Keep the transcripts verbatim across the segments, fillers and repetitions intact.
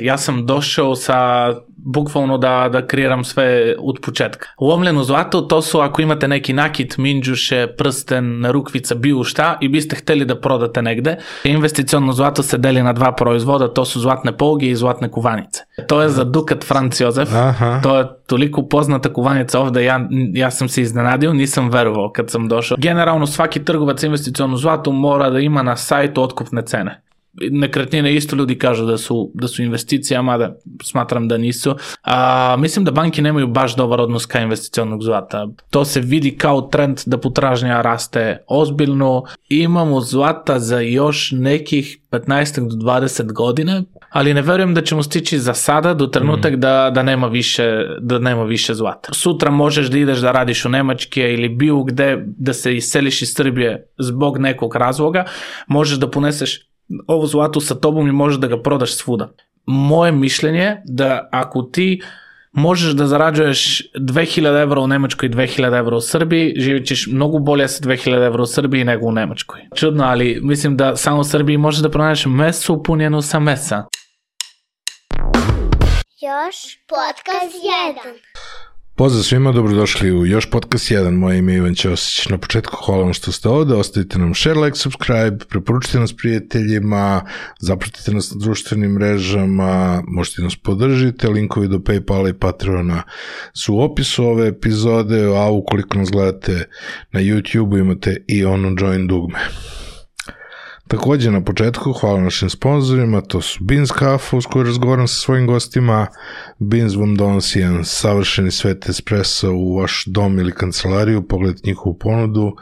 Ja sam došao sa bukvalno da, da kreiram sve od početka. Lomljeno zlato, to su ako imate neki nakit, minđuše, prsten, narukvica, bilo šta i biste hteli da prodate negde. Investiciono zlato se deli na dva proizvoda, to su zlatne poluge i zlatne kuvanice. To je za dukat Franc Jozef. Aha. To je toliko poznata kuvanica ovde, ja, ja sam se iznenadio, nisam verovao kad sam došao. Generalno svaki trgovac investiciono zlato mora da ima na sajtu otkupne cene. Nekretnine isto ljudi kažu da su, da su investicija, mada smatram da nisu. A, mislim da banke nemaju baš dobar odnos ka investicionog zlata. To se vidi kao trend da potražnja raste ozbiljno. Imamo zlata za još nekih petnaest do dvadeset godina, ali ne verujem da ćemo stići za sada do trenutak mm. da, da, nema više, da nema više zlata. Sutra možeš da ideš da radiš u Nemačke ili bilo gde da se iseliš iz Srbije zbog nekog razloga, možeš da poneseš ovo zlato sa tobom i možeš da ga prodaš svuda. Moje mišljenje je da ako ti možeš da zarađuješ dve hiljade evra u Nemačkoj i dve hiljade evra u Srbiji, živit ćeš mnogo bolje sa dve hiljade evra u Srbiji nego u Nemačkoj. Čudno, ali mislim da samo u Srbiji možeš da pronađeš mesu punjenu sa mesa. Još podcast jedan. Pozdrav svima, dobrodošli u Još podcast jedan. Moje ime je Ivan Ćosić. Na početku hvala vam što ste ovde, ostavite nam share, like, subscribe, preporučite nas prijateljima, zapratite nas na društvenim mrežama, možete nas podržite, linkovi do PayPala i Patreona su u opisu ove epizode, a ukoliko nas gledate na YouTube imate i ono join dugme. Također na početku hvala našim sponzorima, to su Beans kafa uz koju razgovaram sa svojim gostima. Beans vam donosi jedan savršeni svet espresso u vaš dom ili kancelariju, pogledajte njihovu ponudu,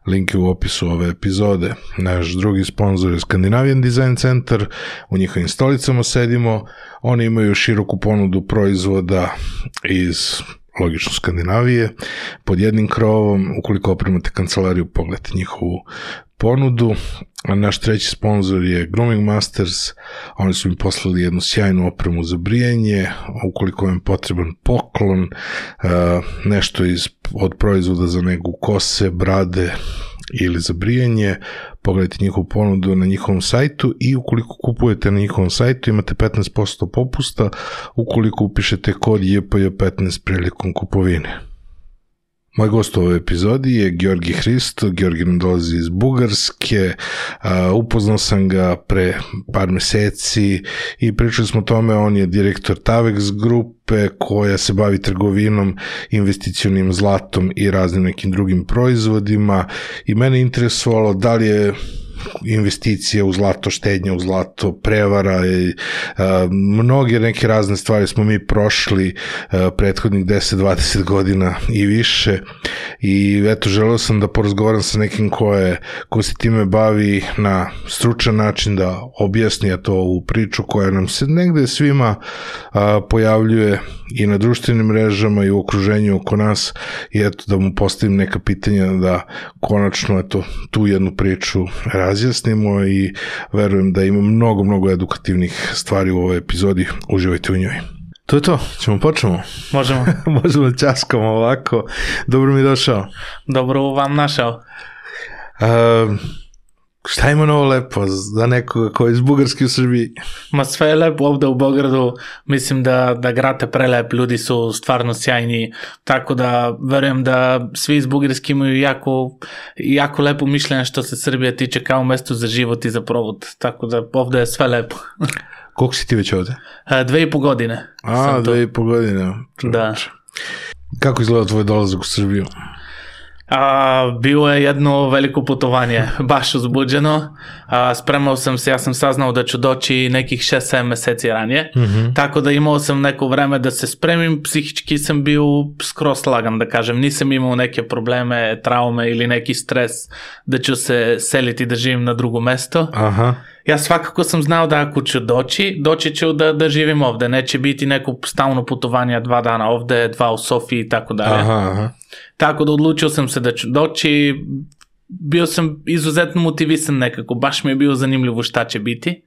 link je u opisu ove epizode. Naš drugi sponzor je Scandinavian Design Center, u njihovim stolicama sedimo, oni imaju široku ponudu proizvoda iz logično Skandinavije, pod jednim krovom, ukoliko opremate kancelariju, pogledajte njihovu ponudu. A naš treći sponsor je Grooming Masters, oni su mi poslali jednu sjajnu opremu za brijanje, ukoliko vam je potreban poklon, nešto iz, od proizvoda za negu kose, brade ili za brijanje, pogledajte njihovu ponudu na njihovom sajtu i ukoliko kupujete na njihovom sajtu imate petnaest posto popusta ukoliko upišete kod J P J petnaest prilikom kupovine. Moj gost u ovoj epizodi je Georgi Hristo. Georgi nam dolazi iz Bugarske, uh, upoznao sam ga pre par meseci i pričali smo o tome, on je direktor Tavex grupe koja se bavi trgovinom, investicionim zlatom i raznim nekim drugim proizvodima i mene interesovalo da li je investicije u zlato, štednje u zlato, prevara i a, mnoge neke razne stvari smo mi prošli a, prethodnih deset do dvadeset godina i više i eto želeo sam da porazgovaram sa nekim ko, je, ko se time bavi na stručan način, da objasni to ovu priču koja nam se negde svima a, pojavljuje i na društvenim mrežama i u okruženju oko nas i eto da mu postavim neka pitanja da konačno eto tu jednu priču razjasnimo i verujem da ima mnogo, mnogo edukativnih stvari u ovoj epizodi. Uživajte u njoj. To je to, ćemo počnemo. Možemo. Možemo ćaskamo ovako. Dobro mi došao. Dobro vam našao. Uh, šta ima novo lepo za nekoga koji je iz Bugarske u Srbiji? Ma sve je lepo ovde u Beogradu, mislim da, da grad je prelep, ljudi su stvarno sjajni, tako da verujem da svi iz Bugarske imaju jako, jako lepo mišljenje što se Srbija tiče kao mesto za život i za provod, tako da ovde je sve lepo. Koliko si ti već ovde? Dve i po godine. A, dve i po godine. Da. Kako izgleda tvoj dolazak u Srbiju? A, bilo je jedno veliko putovanje, baš uzbuđeno. A, spremao sam se, ja sam saznao da ću doći nekih šest sedam meseci ranije, mm-hmm. tako da imao sam neko vreme da se spremim, psihički sam bio skroz lagan, da kažem, nisam imao neke probleme, traume ili neki stres da ću se seliti da živim na drugo mesto. Aha. Ja svakako sam znao da ako ću doći, doći ću da, da živim ovde, neće biti neko stalno putovanje dva dana ovde, dva u Sofiji i tako dalje. Aha, aha. Tako da odlučio sam se da ću doći, bio sam izuzetno motivisan nekako, baš mi je bilo zanimljivo šta će biti,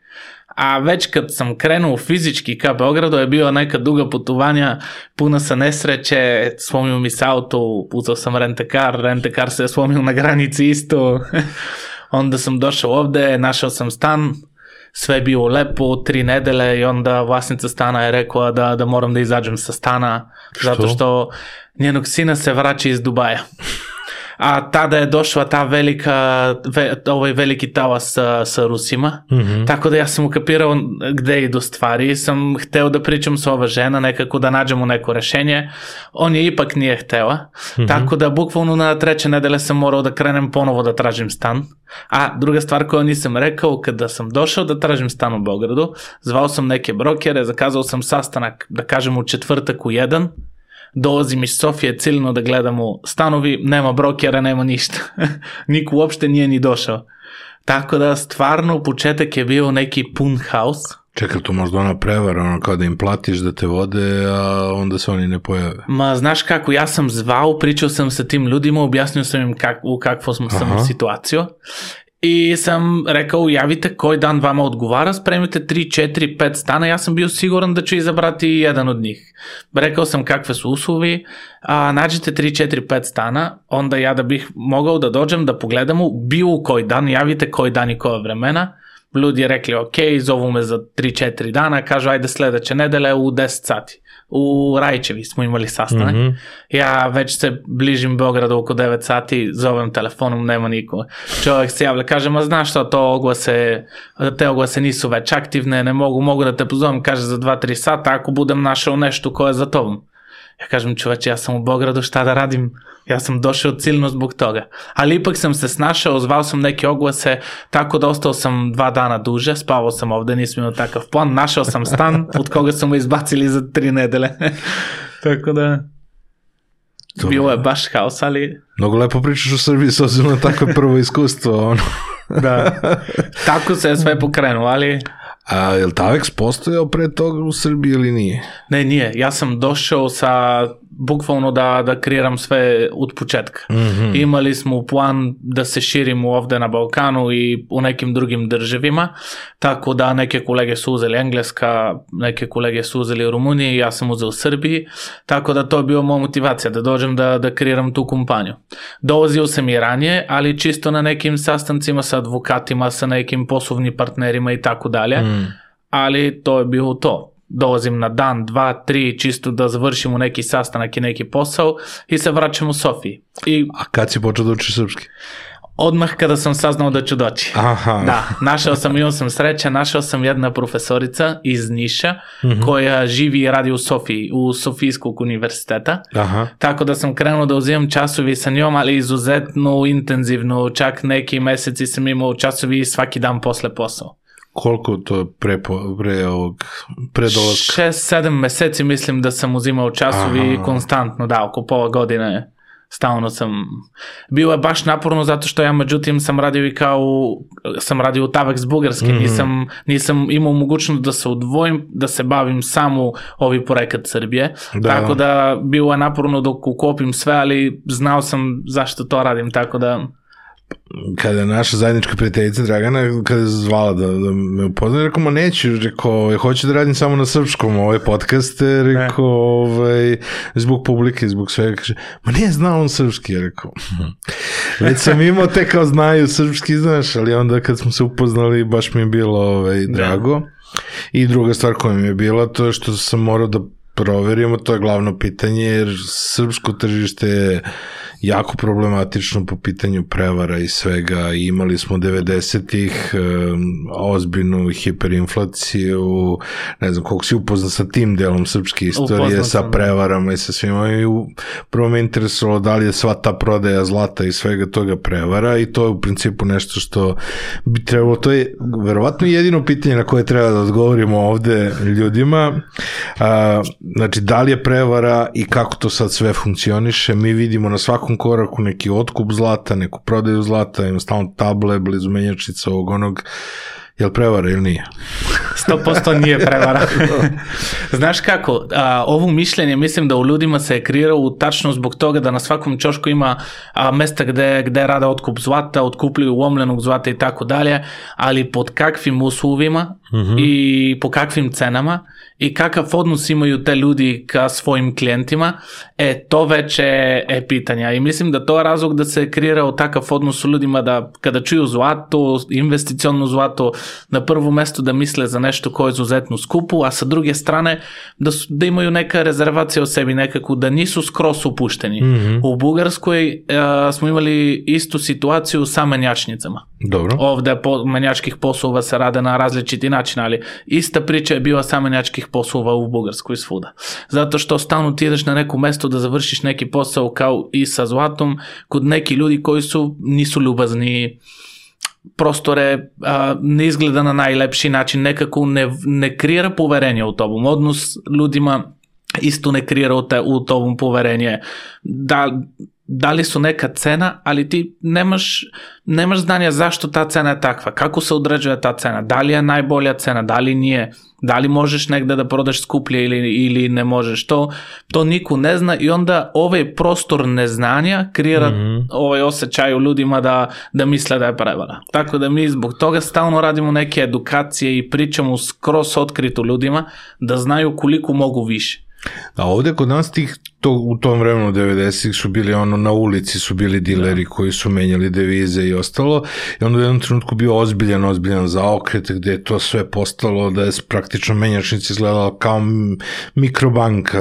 a već kad sam krenuo fizički ka Beogradu je bio neka duga putovanja, puna sa nesreće, slomio mi se auto, uzao sam rentekar, rentekar se je slomio na granici isto, onda sam došao ovde, našao sam stan, sve je bilo lepo, tri nedele i onda vlasnica stana je rekla da, da moram da izađem sa stana, što? Zato što njenog sina se vraća iz Dubaja. A tada je došla ta velika, ve, ovaj veliki talas sa, sa Rusima, mm-hmm. tako da ja sam ukapirao gde idu stvari, sam hteo da pričam sa ova žena, nekako da nađemo neko rešenje, on je ipak nije htela, mm-hmm. tako da bukvalno na treće nedele sam morao da krenem ponovo da tražim stan. A druga stvar koju nisam rekao, kada sam došao da tražim stan u Beogradu, zvao sam neke brokere, zakazao sam sastanak, da kažem u četvrtak u jedan, dolazim iz Sofije ciljno da gledamo stanovi, nema brokera, nema ništa. Niko uopšte nije ni došao. Tako da stvarno početak je bio neki pun haos. Čekaj, to možda ona prevara, ono kao da im platiš da te vode, a onda se oni ne pojave. Ma, znaš kako, ja sam zvao, pričao sam sa tim ljudima, objasnio sam im kak, u kakvu sam Aha. situaciju. I sam rekao, javite koji dan vama odgovara, spremite tri, četiri, pet stana, ja sam bio siguran da ću izabrati jedan od njih. Rekao sam kakve su uslovi, a nađite tri, četiri, pet stana, onda ja da bih mogao da dođem da pogledamo bilo koji dan, javite koji dan i koja vremena. Ljudi je rekli, ok, zovu me za tri četiri dana, kažu, ajde sledeće nedele u deset sati. U Rajčevi smo imali sastanak. Mm-hmm. Ja već se bližim Beogradu oko devet sati, zovem telefonom, nema niko. Čovjek se javlja, kaže, ma znaš što, to oglase, te oglase nisu već aktivne, ne mogu, mogu da te pozovem, kaže, za dva tri sata, ako budem našao nešto koje je za tobom. Ja kažem, čoveče, ja sam u Beogradu, šta da radim? Ja sam došao ciljno zbog toga. Ali ipak sam se snašao, zvao sam neke oglase, tako da ostao sam dva dana duže, spavao sam ovde, nisam imao takav plan, našao sam stan, od koga su me izbacili za tri nedele. Tako da, to bilo je baš haos, ali... Mnogo lepo pričaš u Srbiji, s obzirom na takvo prvo iskustvo, ono. Da, tako se je sve pokrenuo, ali... A je li Tavex postojao pre toga u Srbiji ili nije? Ne, nije. Ja sam došao sa, bukvalno da, da kreiram sve od početka. Mm-hmm. Imali smo plan da se širimo ovde na Balkanu i u nekim drugim državima, tako da neke kolege su uzeli Engleska, neke kolege su uzeli Rumuniji, ja sam uzeo Srbiji, tako da to je bio moja motivacija, da dođem da, da kreiram tu kompaniju. Dolazio sam i ranije, ali čisto na nekim sastancima sa advokatima, sa nekim poslovnim partnerima i tako dalje. Mm. Ali to je bilo to. Dolazim na dan, dva, tri, čisto da završimo neki sastanak i neki posao i se vraćam u Sofiji. I... A kad si počeo da učiš srpski? Odmah kada sam saznao da ću doći. Aha. Da, našao sam, imao sam sreća, našao sam jedna profesorica iz Niša, mm-hmm. koja živi i radi u Sofiji, u Sofijskog univerziteta. Aha. Tako da sam krenuo da uzimam časovi sa njom, ali izuzetno intenzivno, čak neki meseci sam imao časovi svaki dan posle posao. Koliko to pre, pre ovog, pre dolaska? Šest, sedam meseci mislim da sam uzimao časovi Aha. konstantno, da, oko pola godine stalno sam, bilo je baš naporno zato što ja međutim sam radio i kao, sam radio u Tavex Bugarske, mm-hmm. nisam, nisam imao mogućnost da se odvojim, da se bavim samo ovi projekat Srbije, da. Tako da bilo je naporno dok ukopim sve, ali znao sam zašto to radim, tako da... Kada je naša zajednička prijateljica Dragana, kada je zvala da, da me upoznam, rekao, ma neću, rekao, ja hoću da radim samo na srpskom ove podcaste, rekao, ovaj, zbog publike, zbog svega, kaže, ma nije znao on srpski, rekao, već sam imao te kao znaju srpski, znaš, ali onda kad smo se upoznali, baš mi je bilo ovaj, drago. I druga stvar koja mi je bila, to je što sam morao da proverimo, to je glavno pitanje, jer srpsko tržište je jako problematično po pitanju prevara i svega. Imali smo devedesetih um, ozbiljnu hiperinflaciju, ne znam koliko si upoznan sa tim delom srpske istorije, sa prevarama i sa svima, i u, prvo me interesovalo da li je sva ta prodaja zlata i svega toga prevara, i to je u principu nešto što bi trebalo, to je verovatno jedino pitanje na koje treba da odgovorimo ovde ljudima. A, znači, da li je prevara i kako to sad sve funkcioniše. Mi vidimo na svakom koraku neki otkup zlata, neku prodaju zlata, ima stalno table, blizu menjačnica ovog onog. Je li prevara ili nije? sto posto nije prevara. Znaš kako, a, ovo mišljenje mislim da u ljudima se je kreirao tačno zbog toga da na svakom ćošku ima a, mesta gde, gde rada otkup zlata, otkupljuju lomljenog zlata i tako dalje, ali pod kakvim uslovima uh-huh. i po kakvim cenama i kakav odnos imaju te ljudi ka svojim klijentima, e, to već je, je pitanja. I mislim da to je razlog da se kreirao takav odnos u ljudima da kada čuju zlato, investicionno zlato, na prvo mesto da misle za nešto koje je izuzetno skupo, a sa druge strane da, su, da imaju neka rezervacija o sebi, nekako da nisu skroz upušteni. Mm-hmm. U Bugarskoj uh, smo imali istu situaciju sa menjačnicama. Dobro. Ovde po, menjačkih poslova se rade na različiti način, ali ista priča je bila sa menjačkih poslova u Bugarskoj svuda. Zato što stalno ti ideš na neko mesto da završiš neki posao kao i sa zlatom kod neki ljudi koji su nisu ljubazni, prostore a, ne izgleda na najlepši način, nekako ne, ne kreira poverenje u tobom. Odnos ljudima isto ne kreira u, te, u tobom poverenje. Da, da li su neka cena, ali ti nemaš, nemaš znanja zašto ta cena je takva, kako se određuje ta cena, da li je najbolja cena, da li nije, da li možeš negde da prodaš skuplje ili, ili ne možeš, to, to niko ne zna i onda ovaj prostor neznanja kreira mm-hmm. ovaj osjećaj u ljudima da, da misle da je prevara. Tako da mi zbog toga stalno radimo neke edukacije i pričamo skroz otkrito ljudima da znaju koliko mogu više. A ovde kod nas tih, to, u tom vremenu devedesetih su bili ono, na ulici su bili dileri koji su menjali devize i ostalo i onda u jednom trenutku bio ozbiljan, ozbiljan zaokret gde je to sve postalo da je praktično menjačnici izgledalo kao mikrobanka,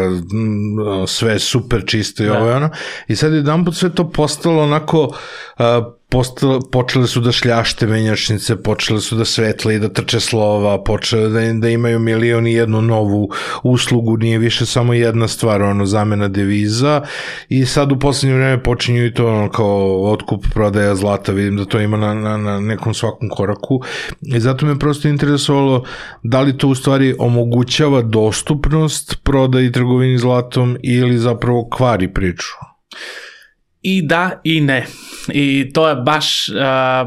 sve super čisto i ovo je ono i sad jedan put sve to postalo onako uh, Postale, počele su da šljašte menjačnice, počele su da svetle i da trče slova, počele da, da imaju milion i jednu novu uslugu, nije više samo jedna stvar, ono, zamena deviza i sad u poslednje vreme počinju i to ono, kao otkup, prodaja zlata, vidim da to ima na, na, na nekom svakom koraku i zato me prosto interesovalo da li to u stvari omogućava dostupnost prodaji i trgovini zlatom ili zapravo kvari priču. I da i ne. I to je baš, uh,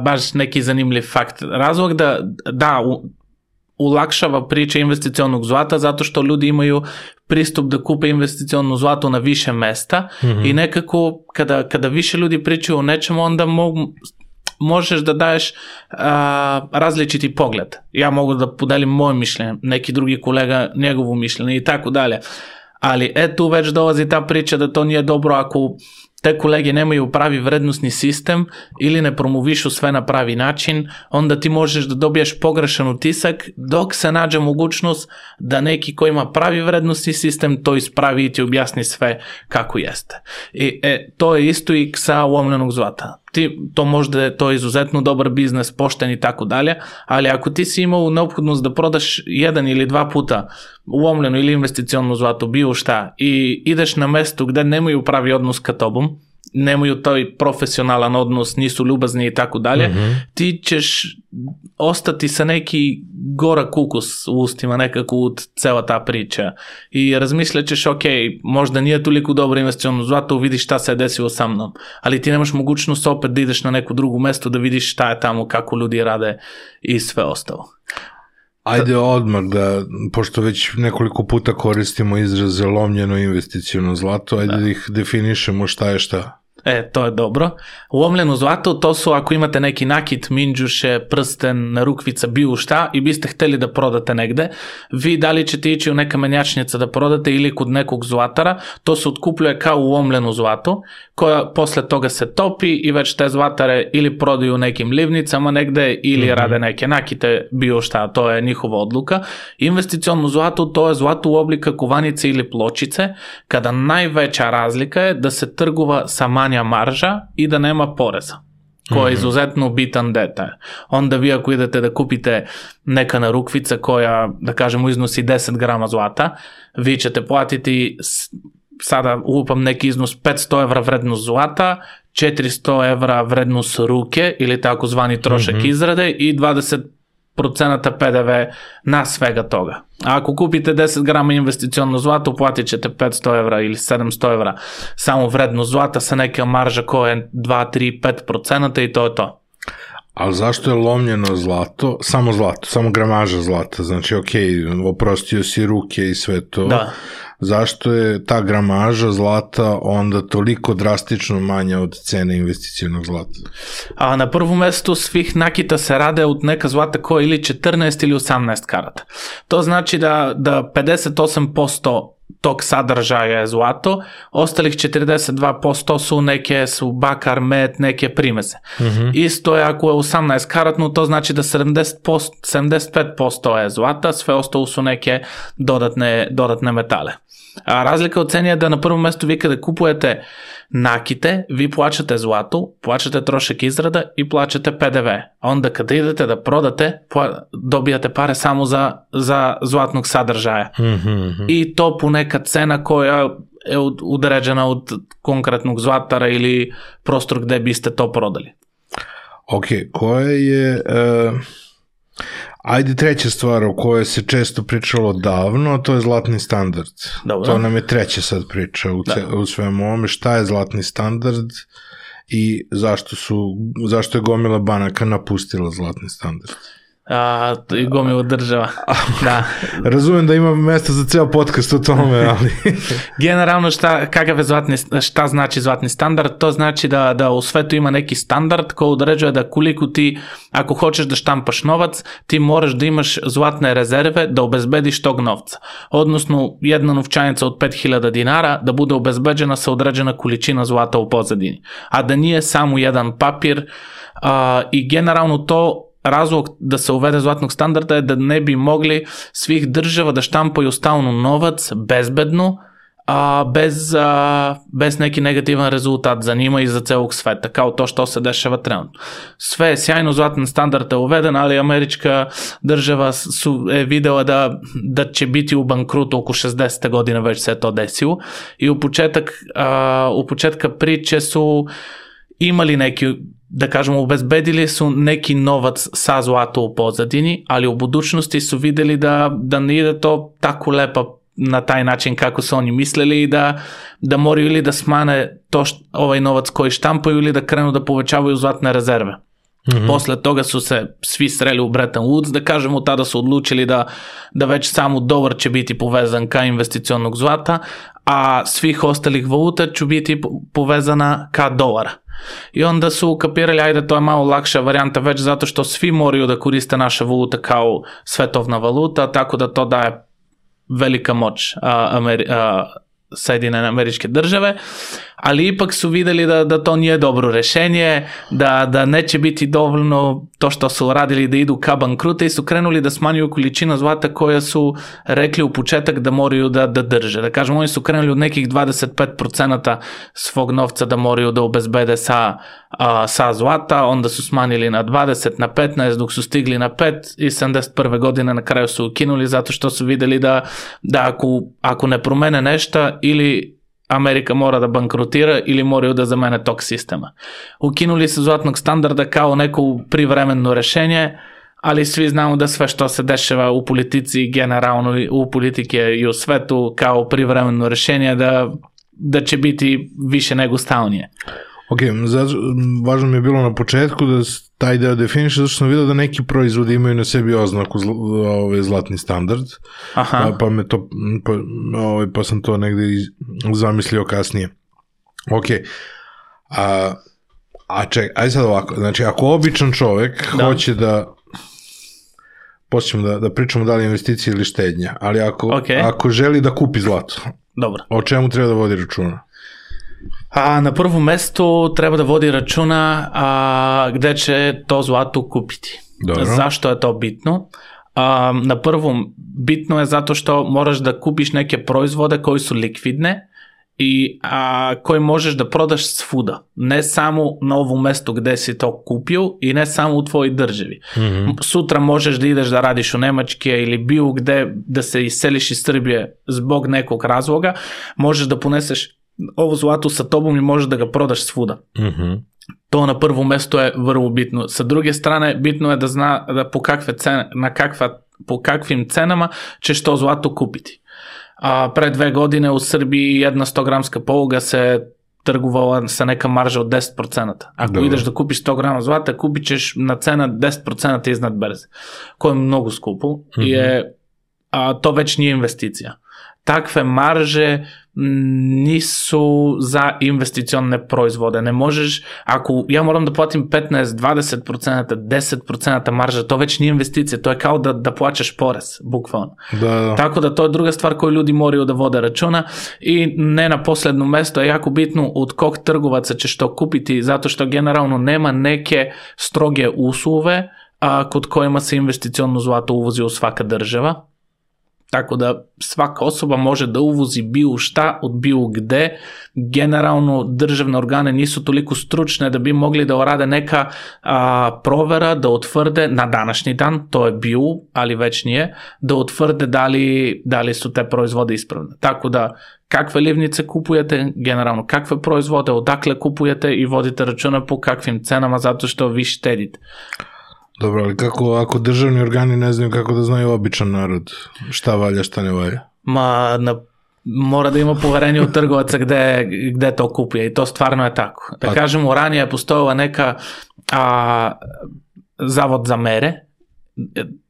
baš neki zanimljiv fakt. Razlog da, da u, ulakšava priča investicionog zlata zato što ljudi imaju pristup da kupe investicionno zlato na više mesta mm-hmm. i nekako kada, kada više ljudi pričaju o nečemu onda mogu možeš da daješ uh, različiti pogled. Ja mogu da podelim moje mišljenje, neki drugi kolega njegovo mišljenje i tako dalje. Ali e tu već dolazi ta priča da to nije dobro ako te kolege nemaju pravi vrednostni sistem ili ne promovišu sve na pravi način, onda ti možeš da dobiješ pogrešan utisak dok se nađe mogućnost da neki ko ima pravi vrednostni sistem to ispravi i ti objasni sve kako jeste. I e, to je isto i sa uomljenog zlata. Ti, to možda je to izuzetno dobar biznes, pošten i tako dalje, ali ako ti si imao neophodnost da prodaš jedan ili dva puta uomljeno ili investicionno zlato, bio šta, i ideš na mesto gde nemaju pravi odnos ka tobom, nemaju taj profesionalan odnos, nisu ljubazni i tako dalje, ti ćeš ostati sa neki gorak ukus u ustima nekako od cela ta priča i razmišljat ćeš, ok, možda nije toliko dobro investicionno zlato, vidiš šta se je desilo sa mnom, ali ti nemaš mogućnost opet da ideš na neku drugu mesto da vidiš šta je tamo, kako ljudi rade i sve ostalo. Ajde odmah da, pošto već nekoliko puta koristimo izraze lomljeno investiciono zlato, ajde da, da ih definišemo šta je šta. E, to je dobro. Uomljeno zlato, to su ako imate neki nakit, minđuše, prsten, rukvica, bilo šta i biste hteli da prodate negde, vi da li ćete ići u neka menjačnica da prodate ili kod nekog zlatara, to se otkupljuje kao uomljeno zlato, koja posle toga se topi i već te zlatare ili prodaju nekim livnicama negde ili mm-hmm. rade neke nakite, bilo šta, to je njihova odluka. Investicionno zlato, to je zlato u oblika kovanice ili pločice, kada najveća razlika je da se trgova sa manja marža i da nema poreza, koja je izuzetno bitan detalj. Onda vi ako idete da kupite neka narukvica koja, da kažemo, iznosi deset grama zlata, vi ćete platiti, sada upam neki iznos, petsto evra vrednost zlata, četiristo evra vrednost ruke ili takozvani trošak mm-hmm. izrade i dvadeset procenata pe de ve na svega toga. A ako kupite deset grama investicionno zlato, platit ćete petsto evra ili sedamsto evra samo vrednost zlata sa neka marža koja je dva, tri, pet procenata i to je to. Ali zašto je lomljeno zlato? Samo zlato, samo gramaža zlata. Znači, ok, oprostio si ruke i sve to. Da. zašto je ta gramaža zlata onda toliko drastično manja od cene investicionog zlata? A na prvo mesto svih nakita se rade od neka zlata koja ili četrnaest ili osamnaest karata. To znači da, da pedeset osam posto tog sadržaja je zlato, ostalih četrdeset dva posto su neke su bakar, med, neke primese. Mm-hmm. Isto je ako je osamnaest karatno, to znači da sedamdeset posto, sedamdeset pet posto je zlata, sve ostalo su neke dodatne, dodatne metale. A razlika u ceni je da na prvom mestu vi kada kupujete nakite, vi plaćate zlato, plaćate trošak izrada i plaćate P D V. A onda kada idete da prodate, dobijate pare samo za, za zlatnog sadržaja. Mm-hmm. I to po neka cena koja je određena od konkretnog zlatara ili prostor gde biste to prodali. Ok, koja je... Uh... Ajde, treća stvar o kojoj se često pričalo davno, to je zlatni standard. Dobro. To nam je treća sad priča u, ce, u svemu ovome. Šta je zlatni standard i zašto, su, zašto je gomila banaka napustila zlatni standard? A, i gomila država. Da. Razumem da ima mesta za ceo podcast o tome, ali... Generalno šta, kakav je zlatni, šta znači zlatni standard? To znači da, da u svetu ima neki standard koji određuje da koliko ti, ako hoćeš da štampaš novac, ti moraš da imaš zlatne rezerve da obezbediš tog novca. Odnosno, jedna novčanica od pet hiljada dinara da bude obezbeđena sa određena količina zlata u pozadini. A da nije samo jedan papir a, i generalno to razlog da se uvede zlatnog standarda je da ne bi mogli svih država da štampaju stalno novac bezbedno, a bez, a, bez neki negativan rezultat za njima i za celog sveta, kao to što se dešava trenutno. Sve je sjajno, zlatan standard je uveden, ali američka država su, je videla da, da će biti u bankrutu oko šezdesete godine, već se to desilo i u početak, a, u početka priče su imali neki, da kažemo, obezbedili su neki novac sa zlato u pozadini, ali u budućnosti su videli da, da ne ide to tako lepo na taj način kako su oni mislili i da, da moraju ili da smane to št, ovaj novac koji štampaju ili da krenu da povećavaju zlatne rezerve. Mm-hmm. Posle toga su se svi sreli u Bretton Woods, da kažemo, tada su odlučili da, da već samo dolar će biti povezan ka investicionog zlata, a svih ostalih valuta će biti povezana ka dolara. I onda su kapirali, ajde, to je malo lakša varijanta već zato što svi moraju da koriste naša valuta kao svetovna valuta, tako da to daje velika moć a, Ameri- a, Sjedinjene Američke Države, ali ipak su videli da, da to nije dobro rešenje, da, da neće biti dovoljno to što su radili da idu ka bankrute i su krenuli da smanjuju količinu zlata koja su rekli u početak da moraju da, da drže. Da kažemo, oni su krenuli od nekih dvadeset pet posto svog novca da moraju da obezbede sa, a, sa zlata, onda su smanjili na dvadeset, na petnaest, dok su stigli na pet i sedamdeset prve godine na kraju su ukinuli zato što su videli da, da ako, ako ne promene nešto ili Amerika mora da bankrotira ili moraju da zamene tog sistema. Ukinuli su zlatnog standarda kao neko privremeno rešenje, ali svi znamo da sve što se dešava u politici, generalno u politike i u svetu kao privremeno rešenje, da, da će biti više nego stalnije. Ok, zato, važno mi je bilo na početku da taj deo definiše, zato što sam vidio da neki proizvodi imaju na sebi oznaku zl, ovaj, zlatni standard, pa, pa, me to, pa, ovaj, pa sam to negde zamislio kasnije. Ok, a, a ček, ajde sad ovako, znači ako običan čovek da. hoće da, počnemo da, da pričamo da li investicije ili štednja, ali ako, okay. ako želi da kupi zlato, dobro. O čemu treba da vodi računa? A na prvom mestu treba da vodi računa a, gde će to zlato kupiti. Dobro. Zašto je to bitno? A, na prvom bitno je zato što moraš da kupiš neke proizvode koji su likvidne i a, koji možeš da prodaš svuda. Ne samo na ovom mestu gde si to kupio i ne samo u tvojoj državi. Mm-hmm. Sutra možeš da ideš da radiš u Nemačke ili bilo gde da se iseliš iz Srbije zbog nekog razloga. Možeš da poneseš ovo zlato sa tobom i možeš da ga prodaš svuda. Mm-hmm. To na prvom mestu je vrlo bitno. Sa druge strane, bitno je da zna da po, kakve cene, na kakva, po kakvim cenama ćeš to zlato kupiti. A pre dve godine u Srbiji jedna sto gramska poluga se trgovala sa neka marža od deset posto. Ako Dobre. ideš da kupiš sto grama zlata, kupit ćeš na cena deset posto iznad berze, koja je mnogo skupo. Mm-hmm. I je a, to već nije investicija. Takve marže nisu za investicione proizvode. Ne možeš, ako ja moram da platim petnaest, dvadeset procenta, deset procenta marža, to već nije investicija, to je kao da, da plaćaš porez, bukvalno. Da, da. Tako da to je druga stvar koju ljudi moraju da vode računa i ne na posledno mesto je jako bitno od kog trgovaca ćeš to kupiti, zato što generalno nema neke stroge uslove a, kod kojima se investiciono zlato uvozi u svaka država. Tako da svaka osoba može da uvozi bilo šta od bilo gde. Generalno državne organe nisu toliko stručne da bi mogli da urade neka a, provera, da utvrde na današnji dan, to je bio, ali već nije, da utvrde da li, da li su te proizvode ispravne. Tako da kakve livnice kupujete, generalno kakve proizvode, odakle kupujete i vodite računa po kakvim cenama zato što vi štedite. Dobro, ali kako ako državni organi ne znaju kako da znaju običan narod šta valja, šta ne valja? Ma, na, mora da ima poverenje u trgovaca gde, gde to kupuje i to stvarno je tako. Da kažemo, ranije je postojala neka a, zavod za mere.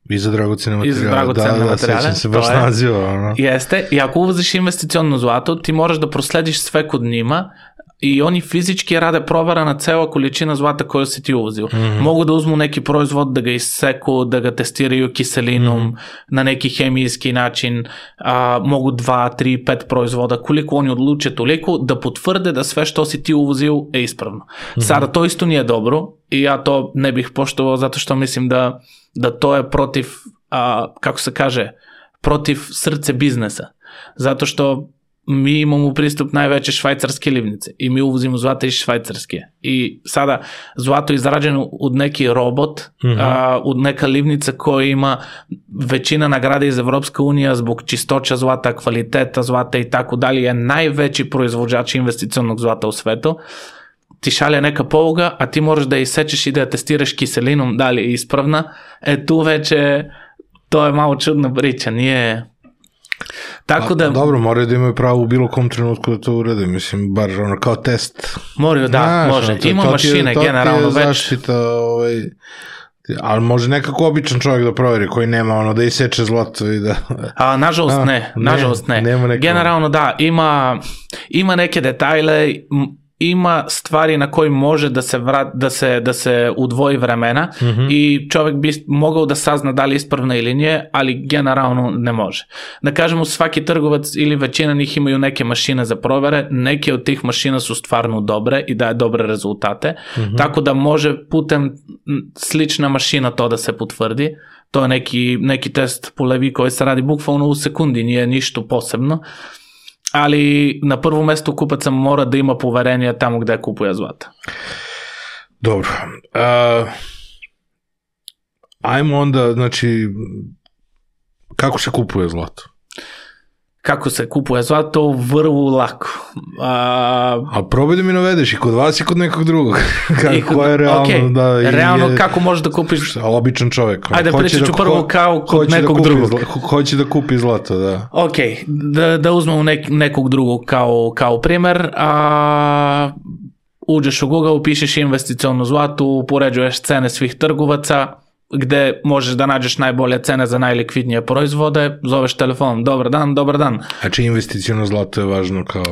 I za dragocene materijale. I za dragocene da, materijale. Da, sećam se baš naziva. Ono. Jeste, i ako uvoziš investiciono zlato, ti moraš da proslediš sve kod njima i oni fizički rade provera na cela količina zlata koju si ti uvozio. Mm-hmm. Mogu da uzmu neki proizvod, da ga iseku, da ga testiraju kiselinom, mm-hmm. na neki hemijski način, a, mogu dva, tri, pet proizvoda, koliko oni odluče toliko, da potvrde da sve što si ti uvozio je ispravno. Mm-hmm. Sada to isto nije dobro i ja to ne bih poštovao zato što mislim da, da to je protiv, a, kako se kaže, protiv srce biznesa. Zato što mi imamo pristup najveće švajcarske livnice i mi uvozimo zlato iz Švajcarske i sada zlato je izrađeno od neki robot, mm-hmm. a, od neka livnica koja ima većina nagrade iz Evropska unija zbog čistoća zlata, kvaliteta zlata i tako dalje, je najveći proizvođač investicionog zlata u svetu. Ti šalje neka poluga, a ti moraš da je isečeš i da je testiraš kiselinom da li je ispravna, e tu već je, to je malo čudna priča, nije... Tako da, a, dobro, moraju da imaju pravo u bilo kom trenutku da to urede, mislim, bar ono kao test. Moraju, da, znaš, može. To, Ima to mašine, je, generalno već. Zaštita, ovaj, ali može nekako običan čovjek da proveri koji nema ono da iseče zlato i da... A, nažalost a, ne, nažalost ne. ne. Generalno da, ima, ima neke detajle, ima stvari na koji može da se, vrat, da se, da se udvoji vremena mm-hmm. i čovjek bi mogao da sazna da li ispravna ili nije, ali generalno ne može. Da kažemo, svaki trgovac ili većina njih imaju neke mašine za provere, neke od tih mašina su stvarno dobre i daje dobre rezultate, mm-hmm. tako da može putem slična mašina to da se potvrdi. To je neki, neki test po Levi koji se radi bukvalno u sekundi, nije ništa posebno. Ali na prvo mesto kupaca mora da ima poverenje tamo gde kupuje zlata. Dobro. Uh, ajmo onda, znači, kako se kupuje zlato? Kako se kupuje zlato? Vrlo lako. A, A probaj da mi navedeš i kod vas i kod nekog drugog. Kako kod, je realno? Okay. Da, realno je, kako možeš da kupiš? Običan čovjek. Ajde, pričat ću da, prvo kao kod nekog da drugog. Zla, hoće da kupi zlato, da. Ok, da, da uzmemo nek, nekog drugog kao, kao primer. A, uđeš u Google, pišeš investiciono zlato, upoređuješ cene svih trgovaca, gde možeš da nađeš najbolje cene za najlikvidnije proizvode, zoveš telefonom, dobar dan, dobar dan. A či investiciono zlato je važno kao...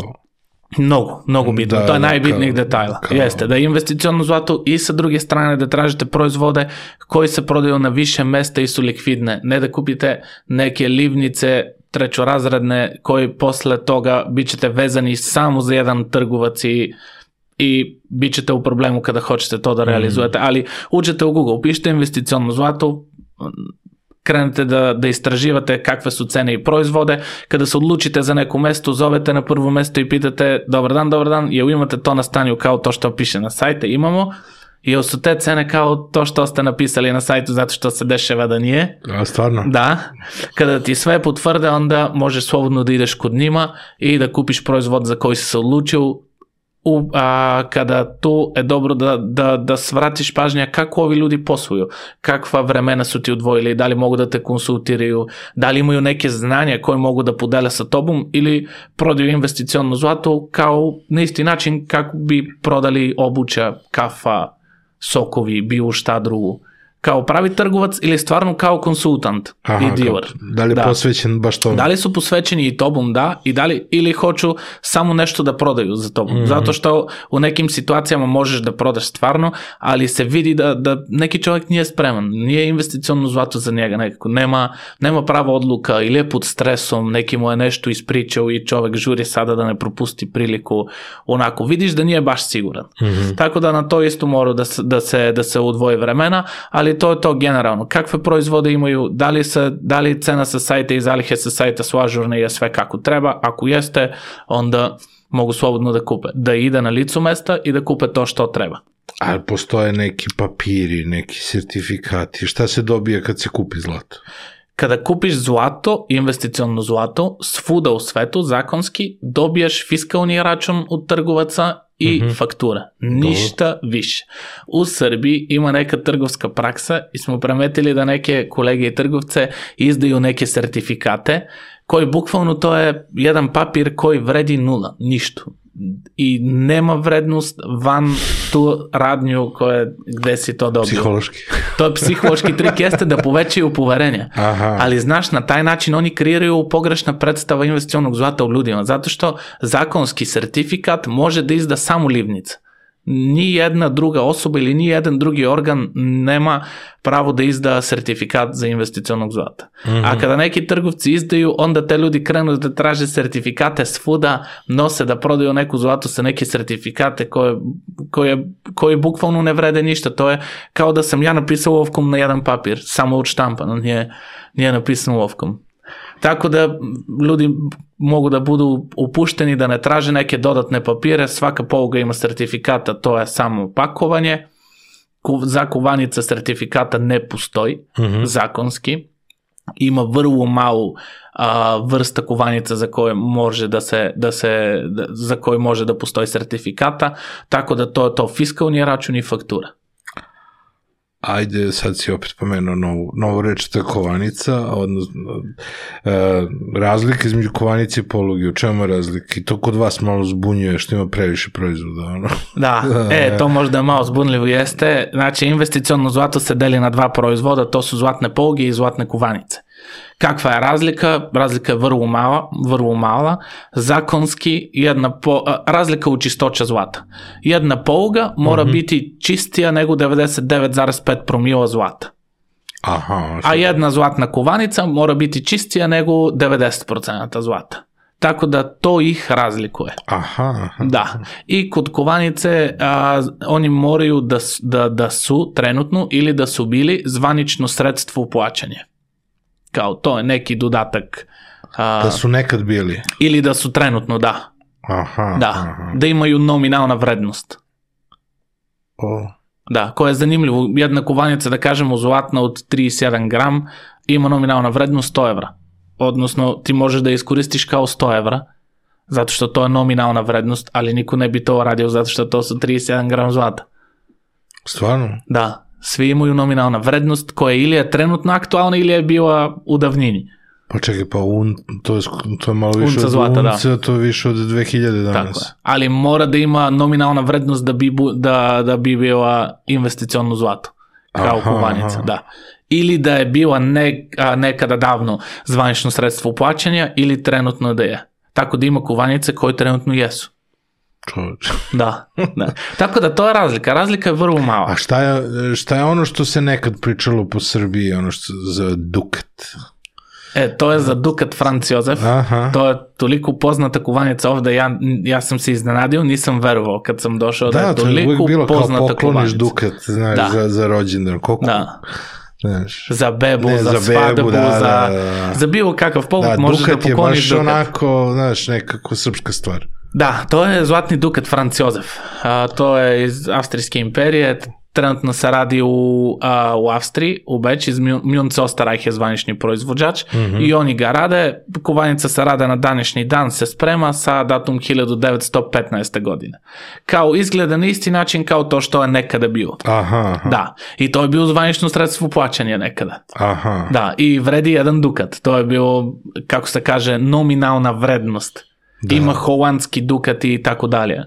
Mnogo, mnogo bitno, da, to je najbitnijih detajla. Kao... Jeste, da je investiciono zlato i sa druge strane da tražite proizvode koji se prodaju na više mesta i su likvidne, ne da kupite neke livnice trećorazredne koji posle toga bit ćete vezani samo za jedan trgovac i i bit ćete u problemu kada hoćete to da realizujete, ali uđete u Google, pišite investiciono zlato, krenete da, da istraživate kakve su cene i proizvode, kada se odlučite za neko mesto, zovete na prvo mesto i pitate dobar dan, dobar dan, jel imate to na stanju kao to što piše na sajte, imamo, jel su te cene kao to što ste napisali na sajtu zato što se dešava da nije. A stvarno? Da, kada ti sve potvrde, onda možeš slobodno da ideš kod njima i da kupiš proizvod za koji si se odlučio. U, a, kada tu je dobro da, da, da svratiš pažnja kako ovi ljudi posluju, kakva vremena su ti odvojili, da li mogu da te konsultiraju, da li imaju neke znanja koje mogu da podele sa tobom ili prodaju investiciono zlato kao na isti način kako bi prodali obuća, kafa, sokovi, bilo šta drugo. Kao pravi trgovac ili stvarno kao konsultant Aha, i dealer. Kao, da li je da. posvećen baš tomu? Da li su posvećeni i tobom, da, i da li, ili hoću samo nešto da prodaju za tobom. Mm-hmm. Zato što u nekim situacijama možeš da prodaš stvarno, ali se vidi da, da neki čovjek nije spreman, nije investicionno zlato za njega nekako, nema, nema prava odluka ili je pod stresom, neki mu je nešto ispričao i čovjek žuri sada da ne propusti priliku, onako, vidiš da nije baš siguran. Mm-hmm. Tako da na to isto mora da, da, se, da se udvoji vremena, ali to je to generalno. Kakve proizvode imaju, da li, se, da li cena sa sajta i zalihe sa sajta su ažurne i je sve kako treba, ako jeste, onda mogu slobodno da kupe, da ide na licu mesta i da kupe to što treba. Ali postoje neki papiri, neki sertifikati, šta se dobije kad se kupi zlato? Kada kupiš zlato, investiciono zlato, svuda u svetu, zakonski, dobiješ fiskalni račun od trgovaca i mm-hmm. faktura. Ništa Dobro. više. U Srbiji ima neka trgovska praksa i smo primetili da neke kolege i trgovce izdaju neke sertifikate koji bukvalno to je jedan papir koji vredi nula, ništa. I nema vrednost van tu radnju koje, gde si to dobio. Psihološki. To je psihološki trik, jeste da povećaju poverenje. Aha. Ali znaš, na taj način oni kreiraju pogrešna predstava investicionog zlata u ljudima, zato što zakonski sertifikat može da izda samo livnica. Ni jedna druga osoba ili ni jedan drugi organ nema pravo da izda sertifikat za investicionog zlata. Mm-hmm. A kada neki trgovci izdaju, onda te ljudi krenu da traže sertifikate svuda, nose da prodaju neku zlato sa neke sertifikate koje, koje, koje bukvalno ne vrede ništa. To je kao da sam ja napisao olovkom na jedan papir, samo od štampana, nije, nije napisano olovkom. Tako da ljudi mogu da budu upušteni da ne traže neke dodatne papire, svaka poluga ima sertifikata, to je samo pakovanje, za kuvanica sertifikata ne postoji, mm-hmm. zakonski, ima vrlo malu a, vrsta kuvanica za koje može da se, da se da, za koje može da postoji sertifikata, tako da to je to fiskalni račun i faktura. Ajde, sad si opet pomenuo novu, novu reč, to je kovanica, odnosno e, razlika između kovanice i poluge, u čemu je razlika? I to kod vas malo zbunjuje što ima previše proizvoda, ono? Da, e, to možda malo zbunljivo jeste, znači investiciono zlato se deli na dva proizvoda, to su zlatne poluge i zlatne kovanice. Kakva je razlika? Razlika je vrlo mala, vrlo mala. Zakonski, jedna po, razlika u čistoća zlata. Jedna poluga mora mm-hmm. biti čistija nego devedeset devet zarez pet promila zlata. Aha, a jedna zlatna kovanica mora biti čistija nego devedeset posto zlata. Tako da to ih razlikuje. Aha, aha. Da. I kod kovanice a, oni moraju da, da, da su trenutno ili da su bili zvanično sredstvo plaćanja. Kao to je neki dodatak. A, da su nekad bili. Ili da su trenutno, da. Aha. Da, aha. Da imaju nominalna vrednost. O. Da, koja je zanimljivo. Jedna kovanica, da kažemo, zlatna od trideset jedan gram, ima nominalna vrednost sto evra. Odnosno, ti možeš da iskoristiš kao sto evra, zato što to je nominalna vrednost, ali niko ne bi to radio zato što to su trideset jedan gram zlata. Stvarno? Da. Svi imaju nominalna vrednost koja ili je trenutno aktualna ili je bila u davnini. Pa čekaj, pa un, to, je, to je malo više unca od zlata, unca, da. To je više od dve hiljade danas. Tako je. Ali mora da ima nominalna vrednost da bi, da, da bi bila investiciono zlato. Kao aha, kovanica, aha. Da. Ili da je bila ne, a, nekada davno zvanično sredstvo plaćanja ili trenutno da je. Tako da ima kovanice koje trenutno jesu. Čovječ. Da, da. Tako da to je razlika. Razlika je vrlo mala. A šta je, šta je ono što se nekad pričalo po Srbiji, ono što za Dukat? E, to je za Dukat Franc Jozef. Aha. To je toliko poznata kovanica ovde. Ja, ja sam se iznenadio, nisam verovao kad sam došao da, da je toliko bilo poznata kovanica. Da, to je uvijek bilo kao pokloniš Dukat, znaš, da. za, za rođendan. Koliko? Da. Znaš, za bebu, ne, za, za svadbu, bebu, da, za, da, da. za bilo kakav povod da, možeš da pokloniš Dukat. Dukat. Je baš onako, znaš, nekako srpska stvar. Da, to je zlatni Dukat Franc Jozef. A, to je iz Avstrijske imperije. Trenutno se radi u, a, u Avstriji, u Beč, iz Münz Österreich je zvanični proizvođač mm-hmm. i oni ga rade. Kovanica se rade na današnji dan, se sprema sa datum hiljadu devetsto petnaeste. godine. Kao izgleda na isti način kao to što je nekada bilo. Aha, aha. Da, i to je bilo zvanično sredstvo plaćanja nekada. Aha. Da, i vredi jedan dukat. To je bilo, kako se kaže, nominalna vrednost. Da. Ima holandski dukat i tako dalje.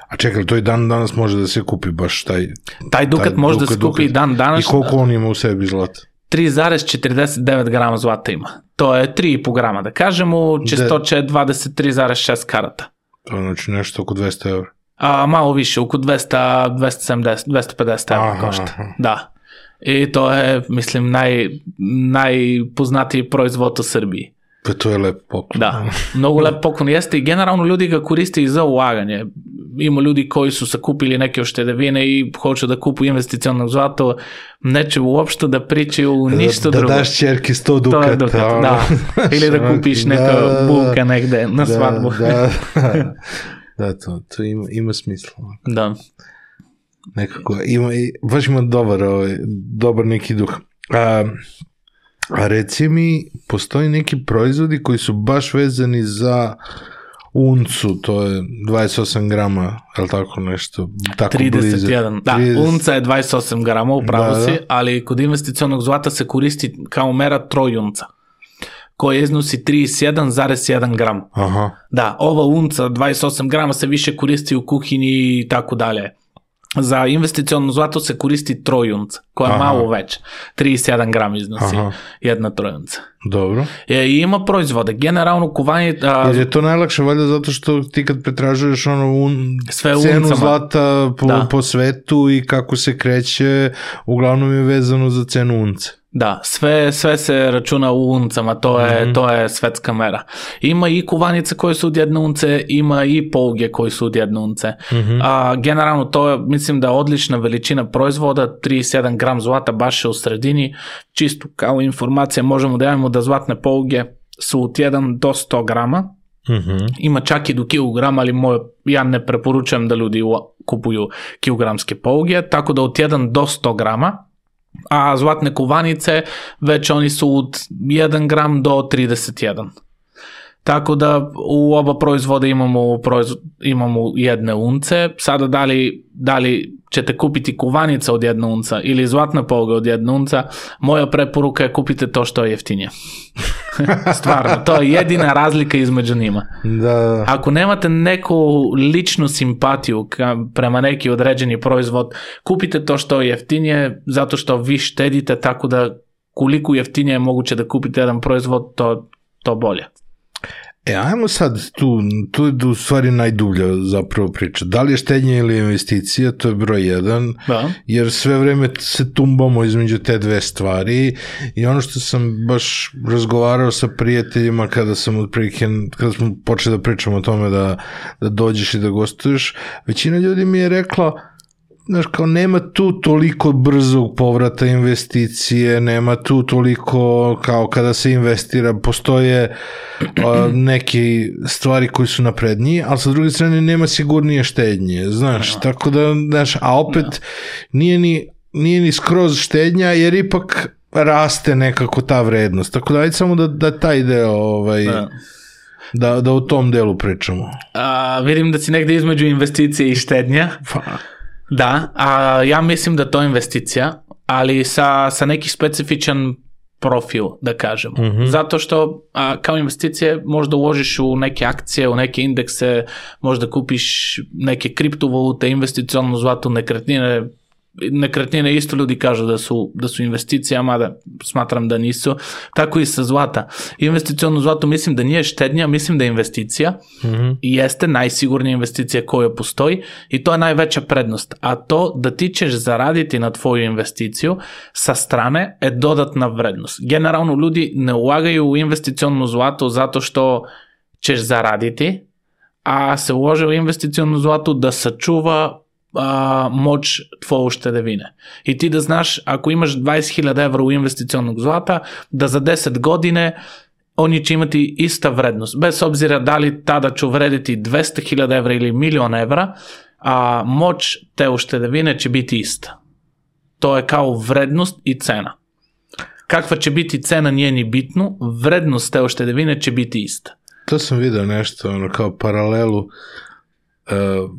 A čekaj, to i dan danas može da se kupi baš taj... Taj dukat taj može dukat, da se kupi dukat. dan danas. I koliko on ima u sebi zlata? tri zarez četrdeset devet grama zlata ima. To je tri i po grama. Da kažemo, čistoće je dvadeset tri zarez šest karata. To znači nešto oko dvesta evra. A malo više, oko dvesta, dvesta sedamdeset, dvesta pedeset evra Aha, košta. aha. Da. I to je, mislim, naj, najpoznatiji proizvod u Srbiji. Pa to je lep poklon. Da, mnogo lep poklon jeste i generalno ljudi ga koriste i za ulaganje. Ima ljudi koji su sakupili neke uštedevine i hoću da kupu investiciono zlato, neće uopšte da pričaju ništa da, drugo. Da daš čerki sto To dukata. je dukat, da. Ili da kupiš neka da, bulka negde na svadbu. Da, da, da to, to ima, ima smisla. Da. Nekako, ima, baš ima dobar, ovaj, dobar neki duh. A, a reci mi, postoji neki proizvodi koji su baš vezani za uncu, to je dvadeset osam grama, je li tako nešto? Tako trideset jedan, blizu. da, trideset unca je dvadeset osam grama, upravo Da, si, da. ali kod investicionog zlata se koristi kao mera trojunca, koja iznosi trideset jedan zarez jedan gram. Aha, Da, ova unca dvadeset osam grama se više koristi u kuhinji i tako dalje. Za investiciono zlato se koristi trojunca, koja je Aha. malo veća. trideset jedan gram iznosi Aha. jedna trojunca. dobro. E, i ima proizvode. Generalno kuvanje... A, Jer je to najlakše, valjda, zato što ti kad pretražuješ ono un, Sve u cenu uncama. zlata po, Da. po svetu i kako se kreće, uglavnom je vezano za cenu unce. Da, sve, sve se računa u uncama, to je, Mhm. to je svetska mera. Ima i kuvanice koje su od jedne unce, ima i pouge koji su od jedne unce. Mhm. A, generalno to je, mislim da je odlična veličina proizvoda, trideset jedan gram zlata baš je u sredini. Čisto kao informacija možemo da javimo da zlatne pouge su od jedan do sto grama. Mhm. Ima čak i do kilograma, ali moj, ja ne preporučujem da ljudi u- kupuju kilogramske pouge, tako da od jedan do sto grama, a zlatne kovanice već oni su od jedan gram do trideset jedan. Tako da u oba proizvoda imamo, proizvod, imamo jedne unce. Sada da li, da li ćete kupiti kovanica od jedne unca ili zlatna pouga od jedne unca, moja preporuka je kupite to što je jeftinije. Stvarno, to je jedina razlika između njima. Da, Ako nemate neku ličnu simpatiju ka, prema neki određeni proizvod, kupite to što je jeftinije, zato što vi štedite, tako da koliko jeftinije je moguće da kupite jedan proizvod, to, to bolje. E, ajmo sad tu, tu je u stvari najdublja zapravo priča. Da li je štednja ili investicija, to je broj jedan, Da. jer sve vreme se tumbamo između te dve stvari i ono što sam baš razgovarao sa prijateljima kada sam otprilike, kada smo počeli da pričamo o tome da, da dođeš i da gostuješ, većina ljudi mi je rekla, znaš, kao nema tu toliko brzog povrata investicije, nema tu toliko kao kada se investira, postoje a, neke stvari koji su naprednije, ali sa druge strane nema sigurnije štednje, znaš, tako da, znaš, a opet nije ni, nije ni skroz štednja, jer ipak raste nekako ta vrednost, tako da ajde samo da, da taj deo, ovaj, Da. da, da o tom delu pričamo. A, vidim da si negde između investicije i štednja. Pa, Da, a ja mislim da to je investicija, ali sa, sa neki specifičan profil, da kažemo. Mhm. Zato što a, kao investicije možda uložiš u neke akcije, u neke indekse, možda kupiš neke kriptovalute, investiciono zlato, nekretnine. Nekretnine isto ljudi kažu da su, da su investicija, mada smatram da nisu. Tako i sa zlata. Investiciono zlato mislim da nije štednja, mislim da je investicija mhm. i jeste najsigurnija investicija koja postoji i to je najveća prednost. A to da ti ćeš zaraditi na tvoju investiciju sa strane je dodatna vrednost. Generalno ljudi ne ulagaju u investiciono zlato zato što ćeš zaraditi, a se ulože u investiciono zlato da sačuva a, moć tvoje uštedevine. I ti da znaš, ako imaš dvadeset hiljada evra u investicionog zlata, da za deset godine oni će imati ista vrednost. Bez obzira da li tada će vrediti dvesta hiljada evra ili milion evra, a moć te uštedevine će biti ista. To je kao vrednost i cena. Kakva će biti cena nije ni bitno, vrednost te uštedevine će biti ista. To sam vidio nešto, ono, kao paralelu uh,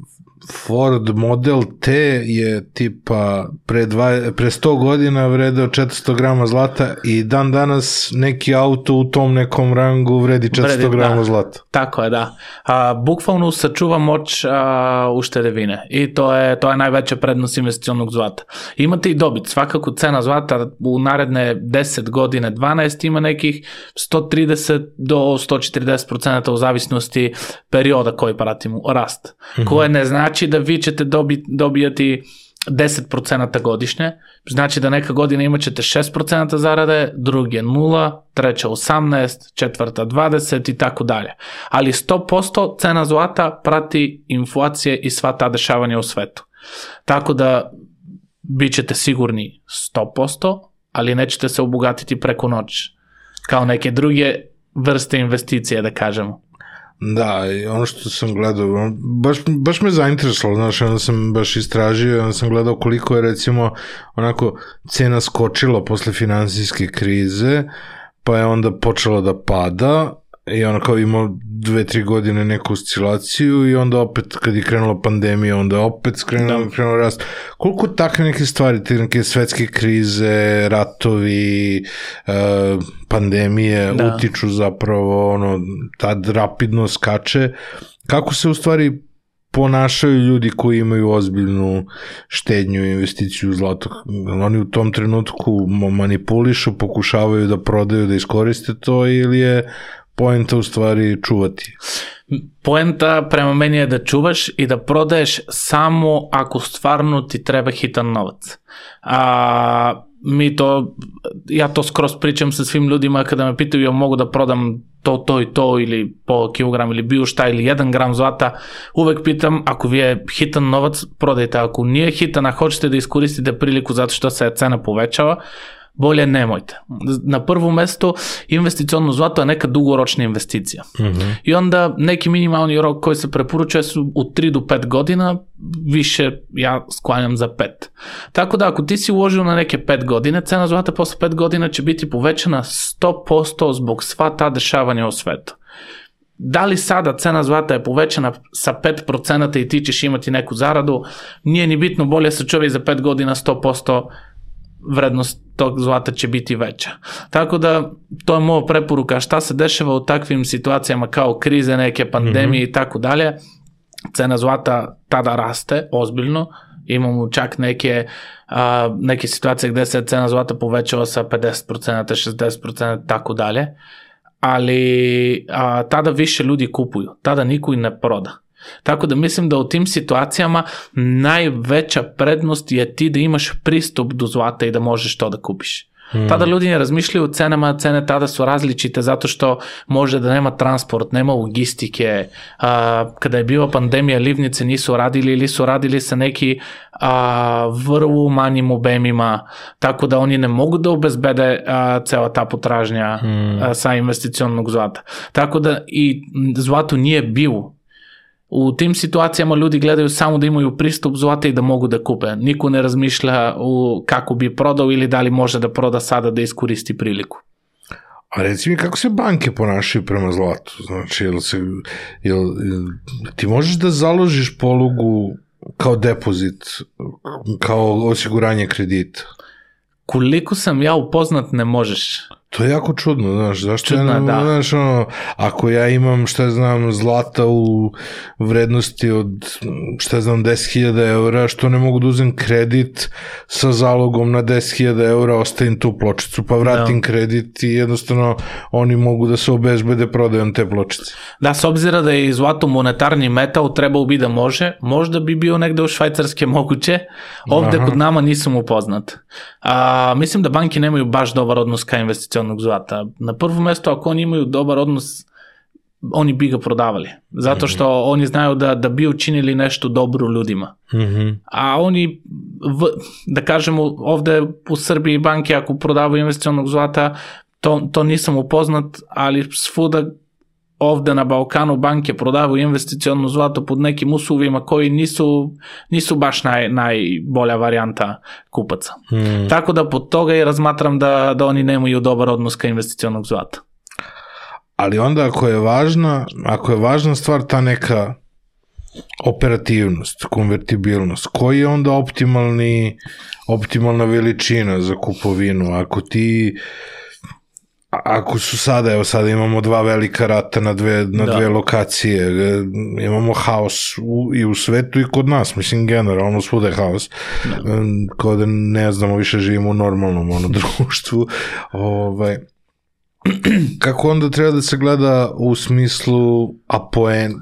Ford Model T je tipa pre, dva, pre sto godina vredeo četiristo grama zlata i dan danas neki auto u tom nekom rangu vredi četiristo grama da, zlata. Tako je, da. A, bukvalno sačuva moć a, uštedevine i to je, to je najveća prednost investicionog zlata. Imate i dobit, svakako cena zlata u naredne deset godine, dvanaest ima nekih sto trideset do sto četrdeset procenta u zavisnosti perioda koji pratimo rast, mm-hmm. koje ne znači da vi ćete dobi, dobijati deset procenta godišnje, znači da neka godina imat ćete šest procenta zarade, druge nula, treća osamnaest, četvrta dvadeset i tako dalje. Ali sto posto cena zlata prati inflacije i sva ta dešavanja u svetu. Tako da bit ćete sigurni sto posto, ali nećete se obogatiti preko noći, kao neke druge vrste investicije, da kažemo. Da, i ono što sam gledao, baš, baš me zainteresovalo, znaš, onda sam baš istražio, onda sam gledao koliko je recimo onako cena skočila posle finansijske krize, pa je onda počela da pada i ona kao imao dve, tri godine neku oscilaciju i onda opet kad je krenula pandemija, onda opet skrenuo, krenuo rast. Koliko takve neke stvari, te neke svetske krize, ratovi, uh, pandemije da. utiču zapravo, ono, tad rapidno skače. Kako se u stvari ponašaju ljudi koji imaju ozbiljnu štednju i investiciju u zlato? Oni u tom trenutku manipulišu, pokušavaju da prodaju, da iskoriste to ili je poenta u stvari čuvati? Poenta prema meni je da čuvaš i da prodaješ samo ako stvarno ti treba hitan novac. A, mi to, ja to skroz pričam sa svim ljudima kada me pitaju ja mogu da prodam to, to i to ili po kilogram ili bio šta ili jedan gram zlata, uvek pitam ako vi je hitan novac prodajte, ako nije hitan a hoćete da iskoristite priliku zato što se cena povećava, bolje nemojte. Na prvo mesto investiciono zlato je neka dugoročna investicija. Mm-hmm. I onda neki minimalni rok koji se preporučuje su u tri do pet godina, više ja sklanjam za pet. Tako da ako ti si uložio na neke pet godine, cena zlata posle pet godina će biti povećana sto posto zbog sva ta dešavanja u svetu. Da li sada cena zlata je povećana sa pet procenta i ti ćeš imati neku zaradu, nije ni bitno, bolje sačuvaj za pet godina sto posto vrednost tog zlata će biti veća. Tako da, to je moja preporuka. Šta se dešava u takvim situacijama kao krize, neke pandemije mm-hmm. i tako dalje, cena zlata tada raste ozbiljno. Imamo čak neke, a, neke situacije gde se cena zlata povećava sa pedeset procenta, šezdeset procenta, tako dalje. Ali a, tada više ljudi kupuju. Tada niko i ne proda. Tako da mislim da u tim situacijama najveća prednost je ti da imaš pristup do zlata i da možeš to da kupiš. Hmm. Tada ljudi ne razmišljaju o cenama, cene tada su različite zato što može da nema transport, nema logistike. A, kada je bila pandemija, livnice nisu radili ili su radili sa neki a, vrlo manjim obemima, tako da oni ne mogu da obezbede a, cela ta potražnja hmm. a, sa investicionog zlata. Tako da i zlato nije bio. U tim situacijama ljudi gledaju samo da imaju pristup zlata i da mogu da kupe. Niko ne razmišlja u kako bi prodao ili da li može da proda sada da iskoristi priliku. A reci mi kako se banke ponašaju prema zlatu? Znači, jel se, jel, jel, ti možeš da založiš polugu kao depozit, kao osiguranje kredita? Koliko sam ja upoznat, ne možeš. To je jako čudno, znaš, zašto Čudno, ja ne, da. znaš, ono, ako ja imam, šta znam, zlata u vrednosti od, šta znam, deset hiljada eura, što ne mogu da uzem kredit sa zalogom na deset hiljada eura, ostavim tu pločicu, pa vratim da. kredit i jednostavno oni mogu da se obezbede prodajom te pločice. Da, s obzira da je zlato monetarni metal, trebao bi da može, možda bi bio negde u Švajcarske moguće, ovde Aha. kod nama nisam upoznat. A, mislim da banke nemaju baš dobar odnos ka investicionog zlata. Na prvo mesto, ako oni imaju dobar odnos, oni bi ga prodavali. Zato što mm-hmm. oni znaju da, da bi učinili nešto dobro ljudima. Mm-hmm. A oni, v, da kažemo, ovde u Srbiji banke ako prodavaju investicionog zlata, to, to nisam upoznat, ali svuda ovde na Balkanu banke prodavaju investiciono zlato pod nekim uslovima koji nisu, nisu baš naj, najbolja varijanta kupaca. Hmm. Tako da pod toga i razmatram da, da oni nemaju dobar odnos ka investicionog zlata. Ali onda ako je važna, ako je važna stvar ta neka operativnost, konvertibilnost, koji je onda optimalni, optimalna veličina za kupovinu? Ako ti, ako su sada, evo sada imamo dva velika rata na dve, na dve lokacije, imamo haos u, i u svetu i kod nas, mislim generalno svuda je haos, kao da ne znamo, više živimo u normalnom ono, društvu, ovaj, kako onda treba da se gleda u smislu apoen,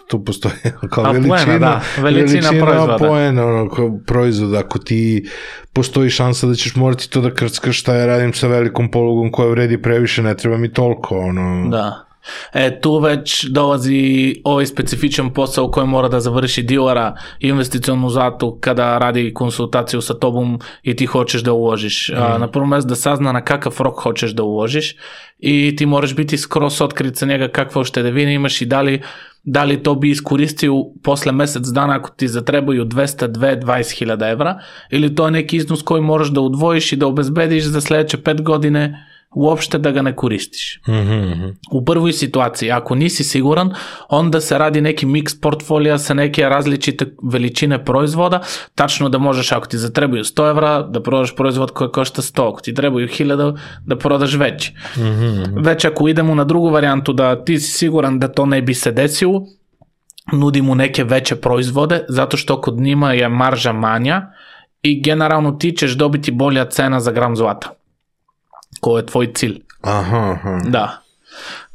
tu postoji kao apoena, veličina, da, veličina, veličina proizvoda. Apoena, ono, kao proizvoda, ako ti postoji šansa da ćeš morati to da krckaš, šta ja radim sa velikom polugom koja vredi previše, ne treba mi toliko. Ono. Da. E, tu već dolazi ovaj specifičan posao koji mora da završi dilera investicionu zatu kada radi konsultaciju sa tobom i ti hoćeš da uložiš. Mm. A, na prvom mjestu da sazna na kakav rok hoćeš da uložiš i ti moraš biti skroz otkrit sa njega kakve uštedevine imaš i da li, da li to bi iskoristio posle mesec dana ako ti zatrebaju dvesta dve dvadeset hiljada evra ili to je neki iznos koji moraš da udvojiš i da obezbediš za sledeće pet godine uopšte da ga ne koristiš. Mm-hmm. U prvoj situaciji, ako nisi siguran, onda se radi neki mix portfolija sa neke različite veličine proizvoda, tačno da možeš, ako ti zatrebaju sto evra, da prodaš proizvod koji košta sto, ako ti trebaju hiljada, da prodaš veći. Mm-hmm. Već ako idemo na drugu varijantu da ti si siguran da to ne bi se desilo, nudi mu neke veće proizvode, zato što kod njima je marža manja i generalno ti ćeš dobiti bolja cena za gram zlata. Ko je tvoj cilj. Aha, aha. Da.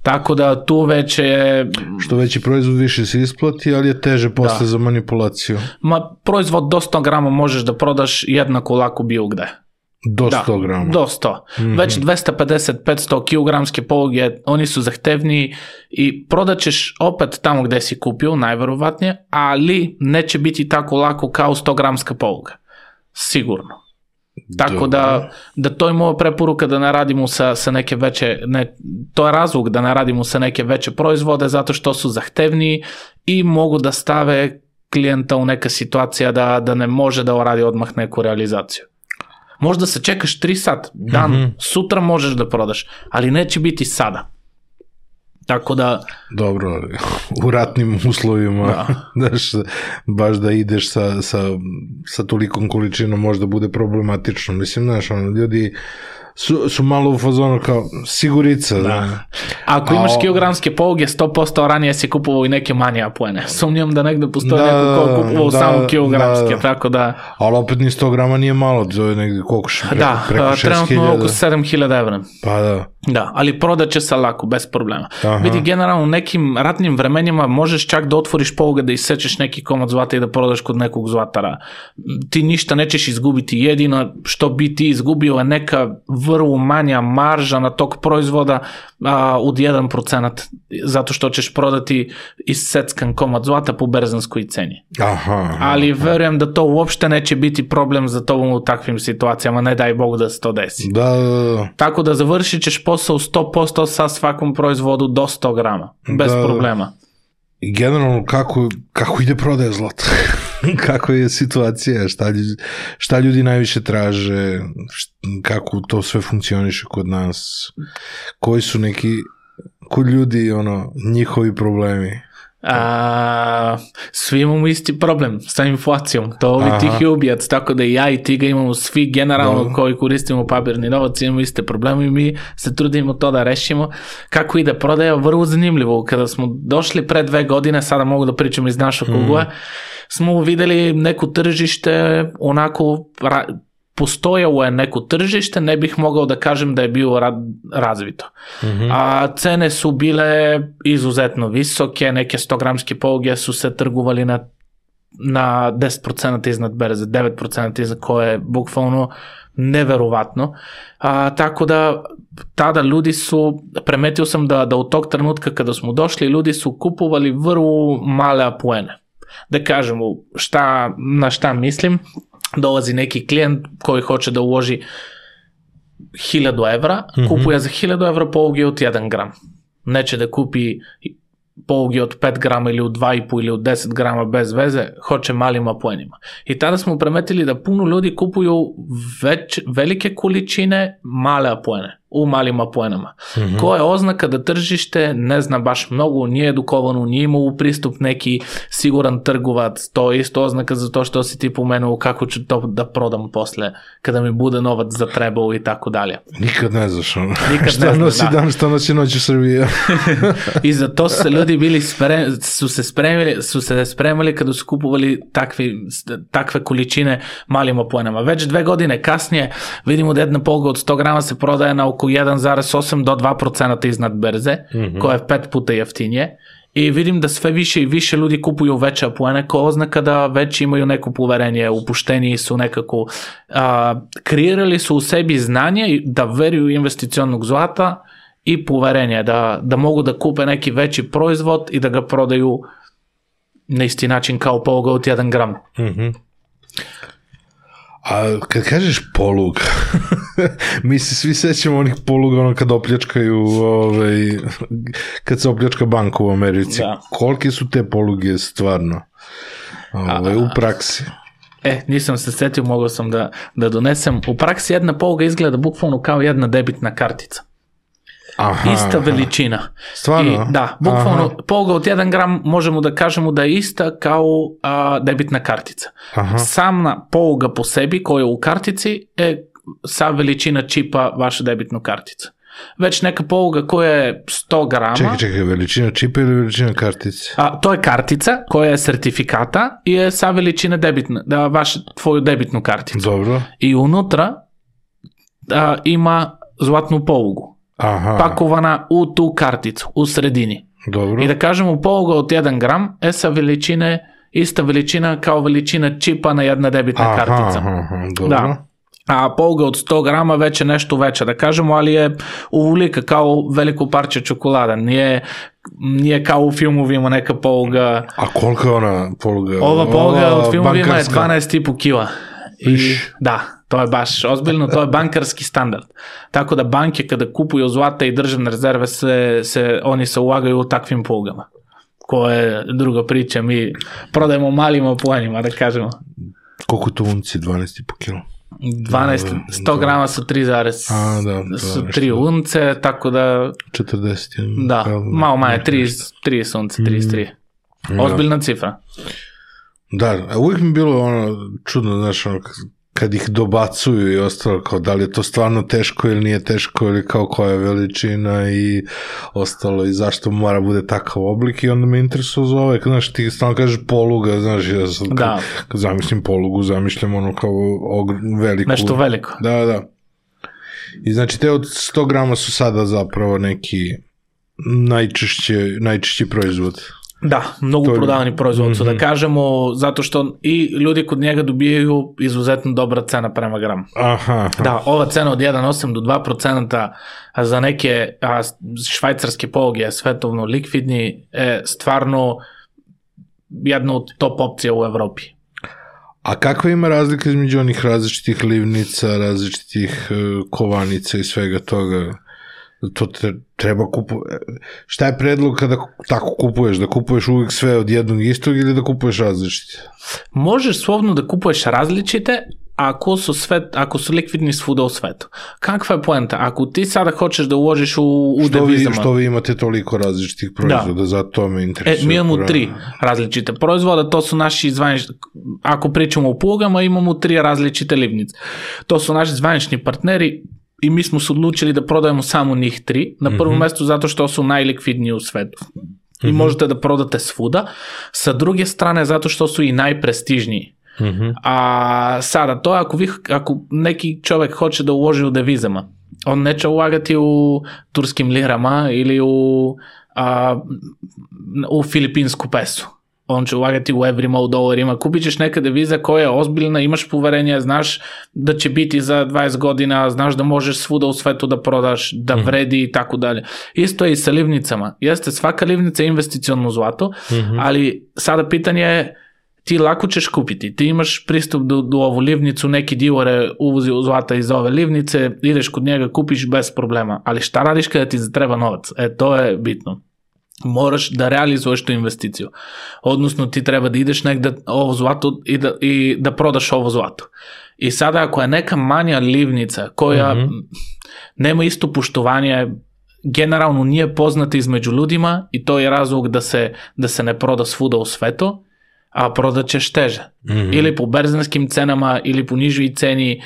Tako da tu već je... Što veći proizvod više se isplati, ali je teže posle da. Za manipulaciju. Ma, proizvod do sto grama možeš da prodaš jednako lako bilo gde. Do sto grama? Da, do sto. Mm-hmm. Već dvesta pedeset do petsto kilogramske poluge, oni su zahtevniji i prodaćeš opet tamo gde si kupio, najverovatnije, ali neće biti tako lako kao sto gramska poluga. Sigurno. Tako da, da to je moja preporuka da ne radimo sa, sa neke veće, ne, to je razlog da ne radimo sa neke veće proizvode zato što su zahtevniji i mogu da stave klijenta u neka situacija da, da ne može da radi odmah neku realizaciju. Možda se čekaš tri sat, dan, mm-hmm. sutra možeš da prodaš, ali neće biti sada. Tako da... Dobro, u ratnim uslovima, da. Daš, baš da ideš sa, sa, sa tolikom količinom možda bude problematično. Mislim, znaš, ono, ljudi su, su malo u fazonu kao sigurica. Da. Da. Ako imaš A, kilogramske poluge, sto posto ranije si kupovao i neke manje apoene. Sumnjam da negde postoje da, neko ko kupovao da, samo kilogramske, da, tako da... Ali opet ni sto grama nije malo, to je negde koliko še, preko, da, preko šest hiljada. Da, trenutno oko sedam hiljada evra. Pa da. Da, ali prodaće se lako, bez problema. Aha. Vidi, generalno u nekim ratnim vremenima možeš čak da otvoriš poluge da isečeš neki komad zlata i da prodaš kod nekog zlatara. Ti ništa nećeš izgubiti, jedino što bi ti izgubio je neka vrlo manja marža na tog proizvoda a, od jedan procenat, zato što ćeš prodati iseckan komad zlata po berzanskoj ceni. Aha, aha, ali verujem da to uopšte neće biti problem za tobom u takvim situacijama, ne daj Bog da se to desi. Da, da, da. Tako da završit ćeš posao sto posto sa svakom proizvodu do sto grama, bez da, problema. I generalno kako, kako ide prodaja zlata? Kako je situacija? Šta ljudi, šta ljudi najviše traže? Kako to sve funkcioniše kod nas? Koji su neki, kod ljudi, ono, njihovi problemi? A, svi imamo isti problem sa inflacijom, to ovi tihi ubijac, tako da i ja i ti ga imamo svi generalno no. koji koristimo papirni novac, imamo iste probleme i mi se trudimo to da rešimo. Kako ide prodaja, vrlo zanimljivo, kada smo došli pre dve godine, sada mogu da pričam iz našeg ugla, mm. smo videli neku tržište onako ra- postojalo je neko tržište, ne bih mogao da kažem da je bilo razvito. Mm-hmm. A cene su bile izuzetno visoke, neke sto gramske poluge su se trgovali na, na deset procenata iznad berze, devet procenata iznad, koje je bukvalno neverovatno. A, tako da tada ljudi su, primetio sam da, da u tog trenutka kada smo došli, ljudi su kupovali vrlo male apoene. Da kažemo šta, na šta mislim, dolazi neki klijent koji hoće da uloži hiljadu evra, mm-hmm. kupuje za hiljadu evra poluge od jedan gram. Neće da kupi poluge od pet grama ili od dva i po ili od deset grama bez veze, hoće malim apoenima. I tada smo primetili da puno ljudi kupuju već, velike količine male apoene. u malim apoenama. Mhm. Koja je oznaka da tržište ne zna baš mnogo, nije edukovano, nije imao pristup neki siguran trgovac, to je isto oznaka za to što si ti pomenuo kako ću to da prodam posle, kada mi bude novac za trebao i tako dalje. Nikad ne znaš ono. Nikad šta ne znaš, nosi da. dan, šta nosi noć u Srbiji. I za to su se ljudi bili sprem, su se spremili, su se spremili kada su kupovali takvi, takve količine malim apoenama. Već dve godine kasnije vidimo da jedna polga od sto grama se prodaje na oko jedan zarez osam do dva procenta iznad berze, mm-hmm. koja je pet puta jeftinije. I vidim da sve više i više ljudi kupuju veće apoene, kao oznaka da već imaju neko poverenje, upušteni su nekako, a, kreirali su u sebi znanje da veruju investicionog zlata i poverenje, da, da mogu da kupe neki veći proizvod i da ga prodaju na isti način kao poluga od jedan gram. Mhm. A kad kažeš poluga, mi se svi sećamo onih poluga ono kad opljačkaju, ovaj, kad se opljačka banka u Americi. Da. Kolike su te poluge stvarno ovaj, u praksi? E, nisam se setio, mogao sam da, da donesem. U praksi jedna poluga izgleda bukvalno kao jedna debitna kartica. Aha, Ista aha. veličina. Stvarno? I, da, bukvalno poluga od jedan gram možemo da kažemo da je ista kao a, debitna kartica. Aha. Sama poluga po sebi koja je u kartici je sa veličina čipa vaša debitna kartica. Već neka poluga koja je sto grama. Čekaj, čekaj, veličina čipa ili veličina kartice? A, to je kartica koja je sertifikata i je sa veličina debitna, da vaš, tvoju debitnu karticu. Dobro. I unutra a, ima zlatnu polugu. Aha, Pakovana u tu karticu, u sredini. dobro. I da kažemo poluga od jedan gram je sa veličine, ista veličina kao veličina čipa na jedna debitna aha, kartica. Aha, aha, dobro. Da. A poluga od sto grama već je nešto veća, da kažemo, ali je uvulika kao veliko parče čokolada. Nije, nije kao u filmovima neka poluga. A koliko je ona poluga? Ova poluga od filmovima je bankarska? dvanaest i po kila. I, Iš. da, to je baš ozbiljno, to je bankarski standard. Tako da banke kada kupuju zlata i državne rezerve, se, se, oni se ulagaju u takvim polugama. Ko je druga priča, mi prodajemo malim apoenima, da kažemo. Koliko to unci? dvanaest i po kilo? dvanaest, sto grama su tri zarez, A, da, da, su nešto. tri unce, tako da, četrdeset. da, malo manje, tri unce, trideset tri. Da. Ozbiljna cifra. Da, a uvijek mi je bilo ono čudno, znaš, ono, kad ih dobacuju i ostalo, kao da li je to stvarno teško ili nije teško ili kao koja je veličina i ostalo i zašto mora bude takav oblik i onda me interesuje za ovaj, znaš, ti stalno kažeš poluga, znaš, ja sam, Da. kad, kad zamislim polugu, zamišljam ono kao ogr- veliku. Nešto veliko. Da, da. I znači te od sto grama su sada zapravo neki najčešće, najčešći proizvod. Da, mnogo To je- prodavani proizvod su, Mhm. da kažemo, zato što i ljudi kod njega dobijaju izuzetno dobra cena prema gramu. Aha, aha. Da, ova cena od jedan zarez osam do dva procenta za neke a, švajcarske poluge svetovno likvidni je stvarno jedna od top opcija u Evropi. A kakva ima razlika između onih različitih livnica, različitih uh, kovanica i svega toga? To te, treba kupuješ. Šta je predlog kada tako kupuješ? Da kupuješ uvijek sve od jednog istog ili da kupuješ različite? Možeš slobodno da kupuješ različite ako su, sve, ako su likvidni svuda u svetu. Kakva je poenta? Ako ti sada hoćeš da uložiš u, u Što vi, devizama... što vi imate toliko različitih proizvoda, zato me E, interesuje. mi imamo pravo. tri različite proizvoda, to su naši zvanični, ako pričamo o plugama, imamo tri različite livnice. To su naši zvanični partneri i mi smo se odlučili da prodajemo samo njih tri, na prvom Mhm. mestu zato što su najlikvidniji u svetu. I Mhm. možete da prodate svuda. Sa druge strane, zato što su i najprestižniji. Mhm. A sada, to je ako, vi, ako neki čovjek hoće da uloži u devizama, on neće ulagati u turskim lirama ili u, a, u filipinsku pesu. On će ulagati u evrima, u dolarima. Kupit ćeš neka deviza koja je ozbiljna, imaš poverenje, znaš da će biti za dvadeset godina, znaš da možeš svuda u svetu da prodaš, da vredi i tako dalje. Isto je i sa livnicama. Jeste, svaka livnica je investiciono zlato, Mhm. ali sada pitanje je ti lako ćeš kupiti, ti imaš pristup do, do ovu livnicu, neki dilere uvozi zlata iz ove livnice, ideš kod njega, kupiš bez problema, ali šta radiš kada ti treba novac? E, to je bitno. moraš da realizuješ tu investiciju. Odnosno ti treba da ideš negde ovo zlato i da, i da prodaš ovo zlato. I sada ako je neka manja livnica koja mm-hmm. nema isto poštovanje, generalno nije poznata između ljudima i to je razlog da se, da se ne proda svuda u svetu, a prodat ćeš teže. Mm-hmm. Ili po berzanskim cenama ili po nižoj ceni.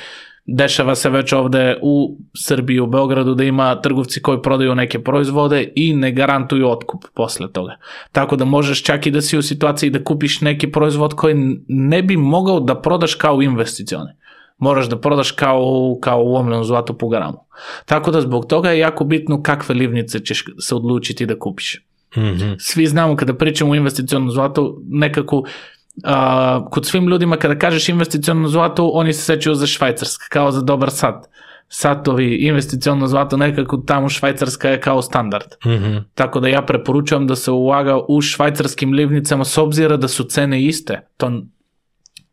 Dešava se već ovde u Srbiji, u Beogradu da ima trgovci koji prodaju neke proizvode i ne garantuju otkup posle toga. Tako da možeš čak i da si u situaciji da kupiš neki proizvod koji ne bi mogao da prodaš kao investicione. Moraš da prodaš kao, kao ulomljeno zlato po gramu. Tako da zbog toga je jako bitno kakve livnice ćeš se odlučiti da kupiš. Mm-hmm. Svi znamo kada pričamo o investicionom zlatu, nekako Uh, kod svim ljudima kada kažeš investiciono zlato, oni se sećaju za Švajcarska, kao za dobar sat. Satovi, investiciono zlato, nekako tamo Švajcarska je kao standard. Mm-hmm. Tako da ja preporučujem da se ulaga u švajcarskim livnicama s obzira da su cene iste. To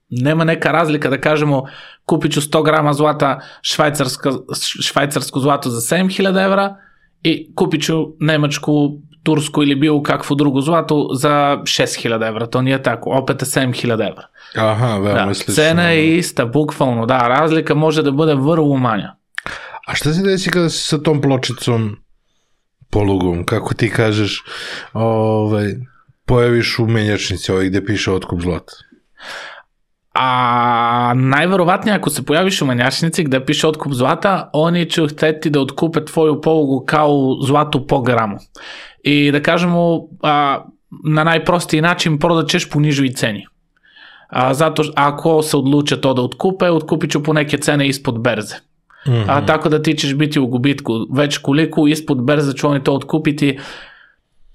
nema neka razlika da kažemo kupit ću sto grama zlata švajcarsko zlato za sedam hiljada evra i kupit ću nemačku, tursku ili bilo kakvu drugu zlatu za šest hiljada evra, to nije tako, opet je sedam hiljada evra. Aha, veoma da, slično. Cena je ista, bukvalno, da, razlika može da bude vrlo manja. A šta se desi kada si sa tom pločicom polugom, kako ti kažeš, ovaj, pojaviš u menjačnici ovaj gde piše otkup zlata? A najverovatnije ako se pojaviš u menjačnici gde piše otkup zlata, oni će hteti da otkupe tvoju polugu kao zlatu po gramu. I da kažemo, a, na najprostiji način prodat ćeš po nižoj ceni. A, zato ako se odluče to da otkupe, otkupit ću po neke cene ispod berze. Mm-hmm. A, tako da ti ćeš biti u gubitku. Već koliko ispod berze će oni to otkupiti,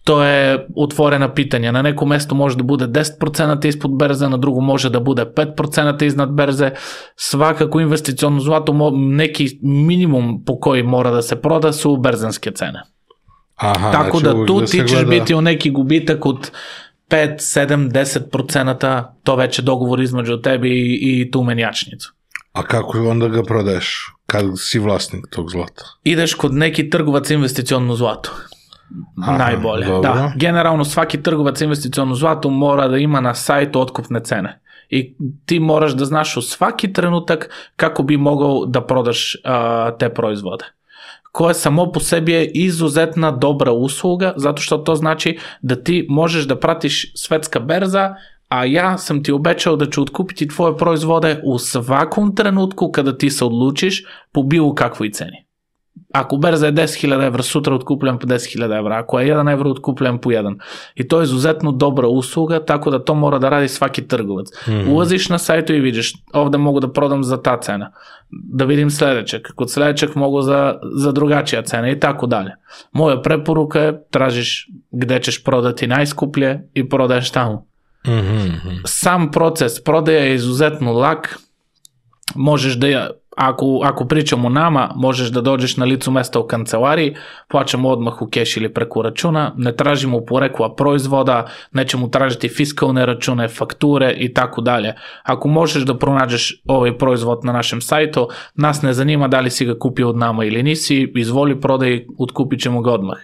to je otvorena pitanja. Na nekom mestu može da bude deset procenata ispod berze, na drugu može da bude pet procenata iznad berze. Svakako investiciono zlato, neki minimum po koji mora da se proda su berzanske cene. Aha, tako znači, da tu da ti ćeš gleda... biti u neki gubitak od pet, sedam, deset procenata, to već je dogovor između tebi i, i tu menjačnicu. A kako onda ga prodaješ kad si vlasnik tog zlata? Ideš kod neki trgovac investiciono zlato. Aha, najbolje. Dobro. Da, generalno svaki trgovac investiciono zlato mora da ima na sajtu otkupne cene. I ti moraš da znaš u svaki trenutak kako bi mogao da prodaš uh, te proizvode. Koja samo po sebi je izuzetna dobra usluga, zato što to znači da ti možeš da pratiš svetska berza, a ja sam ti obećao da ću otkupiti tvoje proizvode u svakom trenutku kada ti se odlučiš po bilo kakvoj ceni. Ako berza je deset hiljada evra, sutra otkupljujem po deset hiljada evra, ako je jedan evro, otkupljujem po jedan. I to je izuzetno dobra usluga, tako da to mora da radi svaki trgovac. Mm-hmm. Ulaziš na sajtu i vidiš, ovde mogu da prodam za ta cena, da vidim sledećeg, kod sledećeg mogu za, za drugačija cena i tako dalje. Moja preporuka je, tražiš gde ćeš prodati najskuplje i prodaješ tamo. Mm-hmm. Sam proces prodaje je izuzetno lak, možeš da ja Ako, ako pričamo o nama, možeš da dođeš na licu mesta u kancelariji, plaćamo odmah u keš ili preko računa, ne tražimo porekla proizvoda, nećemo tražiti fiskalne račune, fakture i tako dalje. Ako možeš da pronađeš ovaj proizvod na našem sajtu, nas ne zanima da li si ga kupio od nama ili nisi, izvoli prodaj, otkupit ćemo ga odmah.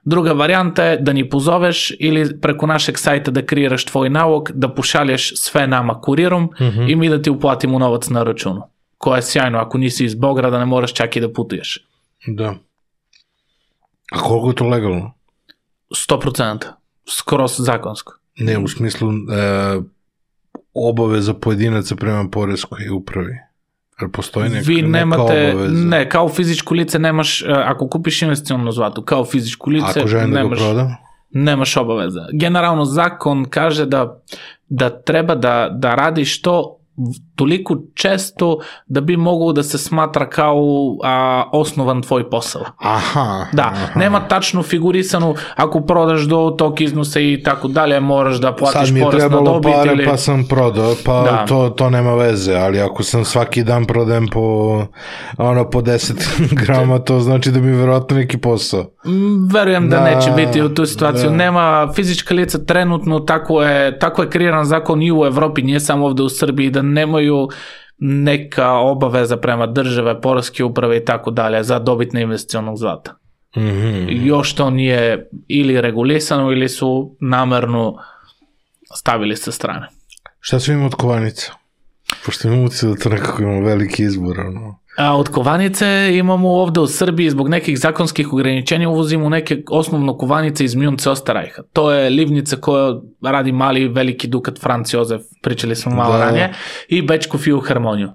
Druga varijanta je da ni pozoveš ili preko našeg sajta da kreiraš tvoj nalog, da pošalješ sve nama kurirom mm-hmm. i mi da ti uplatimo novac na računu. Koja je sjajno, ako nisi iz Beograda ne moraš čak i da putuješ. Da. A koliko je to legalno? sto procenta. Skroz zakonsko. Ne, u smislu e, obaveza pojedinaca prema poreskoj upravi. Jer postoji neka, Vi nemate, neka obaveza. Ne, kao fizičko lice nemaš, ako kupiš investiciono zlato, kao fizičko lice ako želim da ga prodam? Nemaš obaveza. Generalno zakon kaže da, da treba da, da radiš to toliko često da bi mogao da se smatra kao a, osnovan tvoj posao. Aha. Da, aha. Nema tačno figurisanu, ako prodaš do tog iznosa i tako dalje, moraš da platiš porez na dobit. Sad mi je trebalo pare ili... pa sam prodao, pa da. to, to nema veze, ali ako sam svaki dan prodajem po, ono, po deset grama, to znači da mi je verovatno neki posao. Verujem da, da neće biti u tu situaciju. Da. Nema fizička lica trenutno, tako je, tako je kreiran zakon i u Evropi, nije samo ovde u Srbiji, da nemaju neka obaveza prema države, poreske uprave i tako dalje za dobit na investicionog zlata. Mm-hmm. Još to nije ili regulisano ili su namerno stavili sa strane. Šta su ima od kovanica? Pošto imamo utisak da to nekako imamo veliki izbor. Ono. A od kovanice imamo ovde u Srbiji zbog nekih zakonskih ograničenja uvozimo neke osnovno kovanice iz Münze Osterreicha. To je livnica koja radi mali veliki dukat Franz Josef, pričali smo malo da. ranije, i Bečku filharmoniju.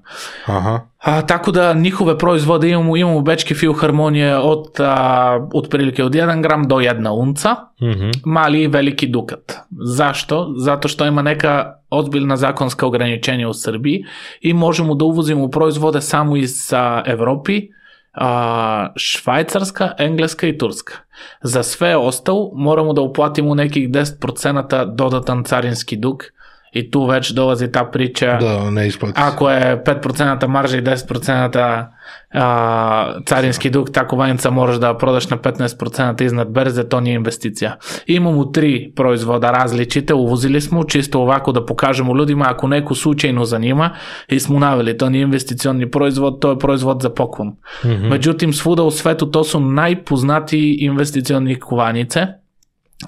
Aha. A, tako da njihove proizvode imamo, imamo Bečke filharmonije od a, otprilike od jedan gram do jedna unca, Mm-hmm. mali i veliki dukat. Zašto? Zato što ima neka ozbiljna zakonska ograničenja u Srbiji i možemo da uvozimo proizvode samo iz a, Evropi, a, Švajcarska, Engleska i Turska. Za sve ostalo moramo da uplatimo nekih deset procenata dodatan carinski dug i tu već dolazi ta priča. Da, ne isplati. Ako je pet procenata marža i deset procenata a, carinski dug, tako vanjica moraš da prodaš na petnaest procenata iznad berze, to nije investicija. Imamo tri proizvoda različite, uvozili smo čisto ovako da pokažemo ljudima ako neku slučajno zanima i smo naveli, to nije investicioni proizvod, to je proizvod za poklon. Mm-hmm. Međutim, svuda u svetu to su najpoznatiji investicioni kovanice,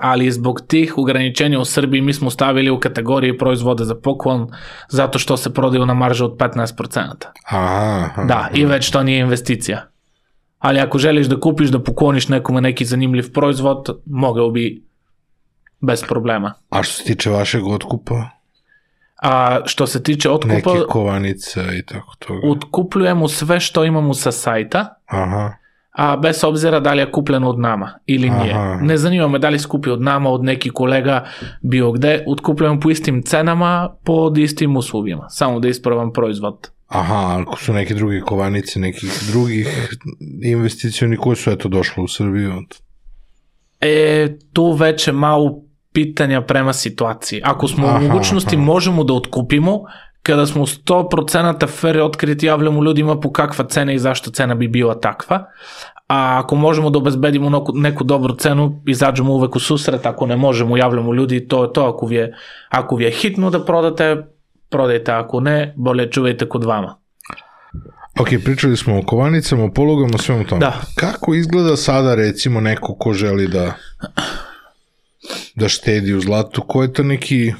ali zbog tih ograničenja u Srbiji mi smo stavili u kategoriji proizvode za poklon zato što se prodaju na maržu od petnaest procenata. Aha, aha. Da, i već to nije investicija. Ali ako želiš da kupiš, da pokloniš nekome neki zanimljiv proizvod, mogao bi bez problema. A što se tiče vašeg otkupa? A što se tiče otkupa, Neke kovanica i tako toga. otkupljujemo sve što imamo sa sajta, Aha. a bez obzira da li je kupljeno od nama ili nije. Aha. Ne zanima me da li skupi od nama, od nekih kolega, bio gde, otkupljujemo po istim cenama, pod istim uslovima, samo da ispravam proizvod. Aha, ako su neke druge kovanice, nekih drugih investicioni koji su eto došli u Srbiju. E, tu već je malo pitanja prema situaciji. Ako smo Aha, u mogućnosti aha. možemo da otkupimo, kada smo sto procenata fair otkriti, javljamo ljudima po kakva cena i zašto cena bi bila takva. A ako možemo da obezbedimo neku, neku dobru cenu, izađemo uvek u susret, ako ne možemo, javljamo ljudi, to je to, ako vi je, ako vi je hitno da prodate, prodajte, ako ne, bolje čuvajte kod vama. Ok, pričali smo o kovanicama, o polugama, svemu tome. Da. Kako izgleda sada recimo neko ko želi da da štedi u zlatu, ko je to neki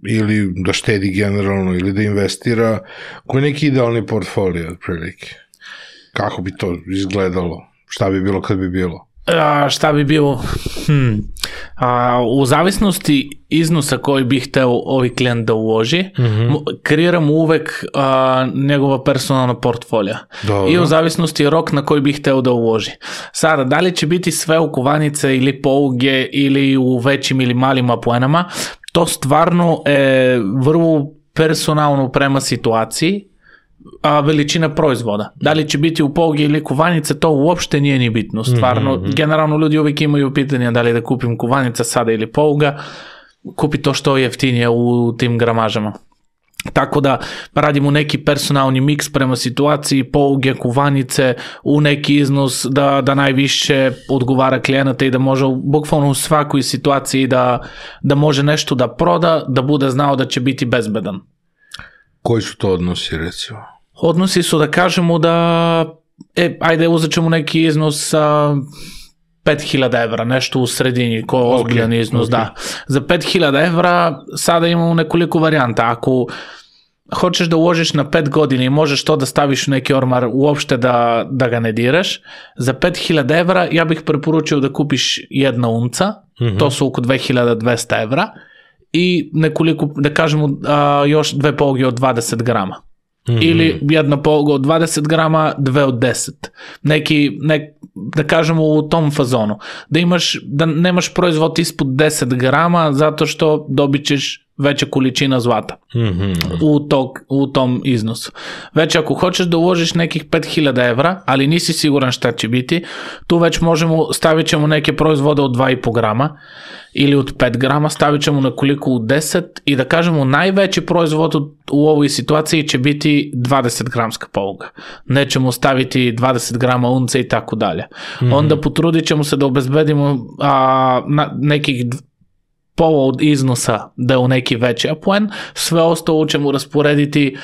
ili da štedi generalno ili da investira, koji je neki idealni portfolio otprilike? Kako bi to izgledalo? Šta bi bilo kad bi bilo? A, šta bi bilo? Hmm. A, u zavisnosti iznosa koji bi hteo ovi klijent da uloži, mm-hmm. kreiramo uvek a, njegova personalna portfolija. Dobro. I u zavisnosti rok na koji bi hteo da uloži. Sada, da li će biti sve u kovanice ili poluge ili u većim ili malim apuenama, to stvarno je vrlo personalno prema situaciji, a veličina proizvoda. Da li će biti u poluge ili kovanice, to uopšte nije ni bitno. Stvarno, mm-hmm. generalno ljudi uvijek imaju pitanja da li da kupim kovanica sada ili poluga, kupi to što je jeftinije u tim gramažama. Tako da radimo neki personalni miks prema situaciji, poluge, kovanice u neki iznos da, da najviše odgovara klijenata i da može bukvalno u svakoj situaciji da, da može nešto da proda, da bude znao da će biti bezbedan. Koji su to odnosi recimo? Odnosi su da kažemo da e, ajde uzet ćemo neki iznos sa pet hiljada evra, nešto u sredini, ko je ozbiljan okay, iznos, okay. Da. Za pet hiljada evra sada imamo nekoliko varijanta. Ako hoćeš da uložiš na pet godina i možeš to da staviš u neki ormar uopšte da, da ga ne diraš, za pet hiljada evra ja bih preporučio da kupiš jedna unca, mm-hmm. to su oko dve hiljade dvesta evra, i nekoliko, da kažemo, a, još dve poluge od dvadeset grama. Mm-hmm. Ili jedna poluga od dvadeset grama, dve od deset. Neki, nek, da kažemo u tom fazonu. Da imaš, da nemaš proizvod ispod deset grama zato što dobit ćeš veća količina zlata mm-hmm. u, tog, u tom iznosu. Već ako hoćeš da uložiš nekih pet hiljada evra, ali nisi siguran šta će biti, tu već možemo, stavit ćemo neke proizvode od dva i po grama ili od pet grama, stavit ćemo nekoliko u deset i da kažemo najveći proizvod u, u ovoj situaciji će biti dvadeset gramska poluga. Nećemo staviti dvadeset grama unce i tako dalje. Mm-hmm. Onda potrudit ćemo se da obezbedimo a, na, nekih pola od iznosa da je u neki veći apuen, sve ostalo ćemo rasporediti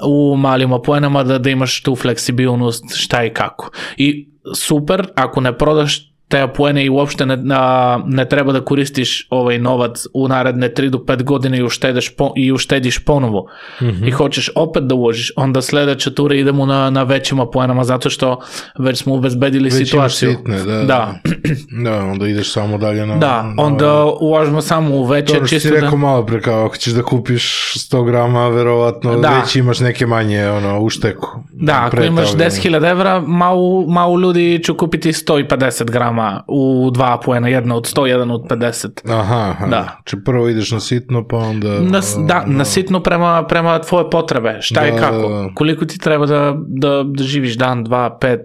u malim apuenama da, da imaš tu fleksibilnost šta i kako. I super, ako ne prodaš te poene i uopšte ne, a, ne treba da koristiš ovaj novac u naredne tri do pet godine i uštediš, po, i uštediš ponovo mm-hmm. i hoćeš opet da uložiš, onda sledeća tura idemo na, na većima poenama zato što već smo obezbedili već situaciju. Sitne, da, da. da, onda ideš samo dalje na... Da, na, onda uložimo samo u veće. To što si rekao da... malo pre, kao ako ćeš da kupiš sto grama, verovatno da. Već imaš neke manje ono, u šteku. Da, ako imaš deset hiljada evra, malo, malo ljudi će kupiti sto pedeset grama u dva poena, jedna od sto, jedan od pedeset. Aha, aha. Da. Če prvo ideš na sitno, pa onda... Na, da, na sitno prema, prema tvoje potrebe. Šta da, je kako? Koliko ti treba da, da, da živiš dan, dva, pet,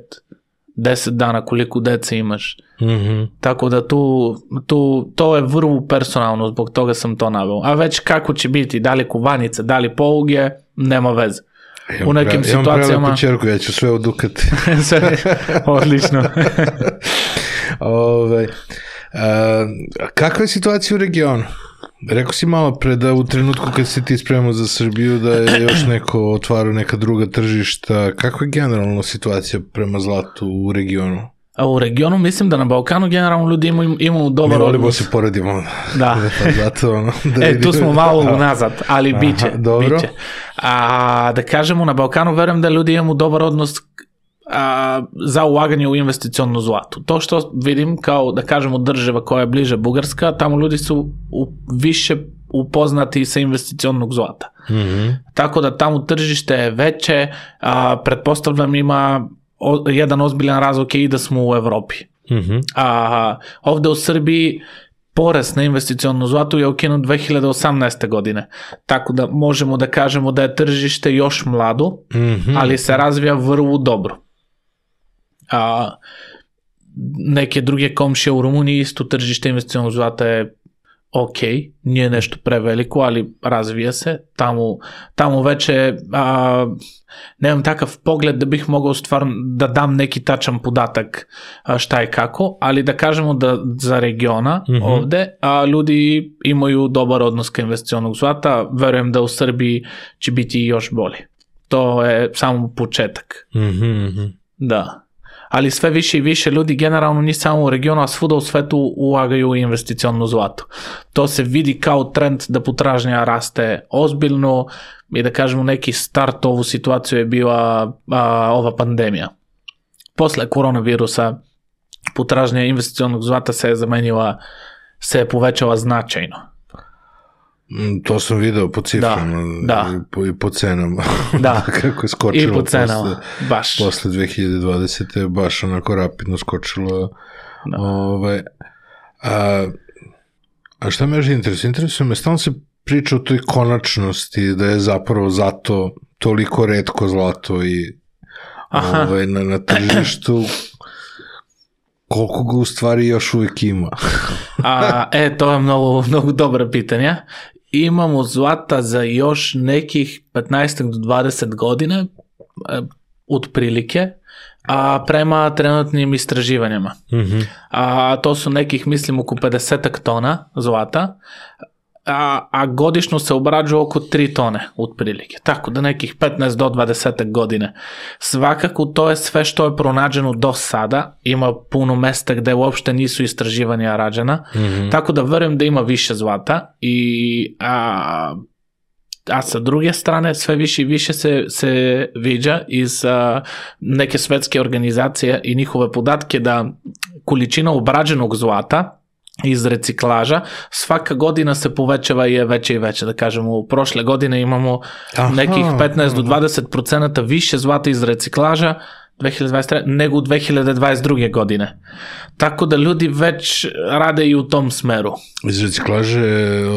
deset dana, koliko dece imaš. Mm-hmm. Tako da tu, tu, to je vrlo personalno, zbog toga sam to naveo. A već kako će biti, da li kuvanice, da li poluge, nema veze. Imam u nekim pre, situacijama... Imam prelepu čerku, ja ću sve odukati. Odlično. Ove, a, kakva je situacija u regionu? Rekao si malo pre da u trenutku kad si ti spremao za Srbiju da je još neko otvarao neka druga tržišta. Kakva je generalno situacija prema zlatu u regionu? A u regionu mislim da na Balkanu generalno ljudi imaju, imaju dobar odnos. Mi volimo odnos. se poredimo. Da. Zato, ono, da e, tu smo malo unazad, ali bit će. Dobro. Biće. A da kažemo na Balkanu, verujem da ljudi imaju dobar odnos a, za ulaganje u investicionnu zlatu. To što vidim kao, da kažemo, država koja je bliže Bugarska, tamo ljudi su u, više upoznati sa investicionnog zlata. Mm-hmm. Tako da tamo tržište je veće, a, pretpostavljam ima o, jedan ozbiljan razlog je i da smo u Evropi. Mm-hmm. A ovde u Srbiji porez na investicionnu zlatu je ukinut dve hiljade osamnaeste. godine. Tako da možemo da kažemo da je tržište još mlado, mm-hmm. ali se razvija vrlo dobro. A, neke druge komšije u Rumuniji isto tržište investicionnog zlata je ok, nije nešto preveliko, ali razvija se. Tamo, tamo već je, a, nemam takav pogled da bih mogao stvarno da dam neki tačan podatak a, šta je kako, ali da kažemo da za regiona mm-hmm. ovde a, ljudi imaju dobar odnos ka investicionog zlata, verujem da u Srbiji će biti još bolje. To je samo početak. Mm-hmm. Da. Ali sve više i više ljudi generalno ni samo u regionu, a svuda u svetu ulagaju u investicionnu zlatu. To se vidi kao trend da potražnja raste ozbiljno i da kažemo neki start ovu situaciju je bila a, ova pandemija. Posle koronavirusa potražnja investicionog zlata se je zamenila, se je povećala značajno. To sam video po ciframa da, da. I, po, i po cenama. Da, kako je skočilo i po cenama, posle, baš. Posle dve hiljade dvadesete. baš onako rapidno skočilo. Da. Ove, a, a šta me još interesuje? Interesuje me, stalno se priča o toj konačnosti, da je zapravo zato toliko retko zlato i ove, na, na tržištu. Koliko ga u stvari još uvijek ima? A, e, to je mnogo, mnogo dobra pitanja. Imamo zlata za još nekih petnaest do dvadeset godine, otprilike, a prema trenutnim istraživanjima. Mm-hmm. A to su nekih, mislim, oko pedeset tona zlata, a, a godišnjo se obrađuje oko tri tone otprilike. Tako da nekih petnaest do dvadeset godine. Svakako to je sve što je pronađeno do sada. Ima puno mesta gde uopšte nisu istraživanja rađena. Mm-hmm. Tako da verujem da ima više zlata i a, a sa druge strane sve više i više se, se viđa iz a, neke svetske organizacije i njihove podatke da količina obrađenog zlata iz reciklaža svaka godina se povećava i je veća i veća. Da kažemo, u prošle godine imamo aha, nekih petnaest do dvadeset procenata više zlata iz reciklaža dve hiljade dvadeset treće. nego u dve hiljade dvadeset druge. godine. Tako da ljudi već rade i u tom smeru. Iz reciklaže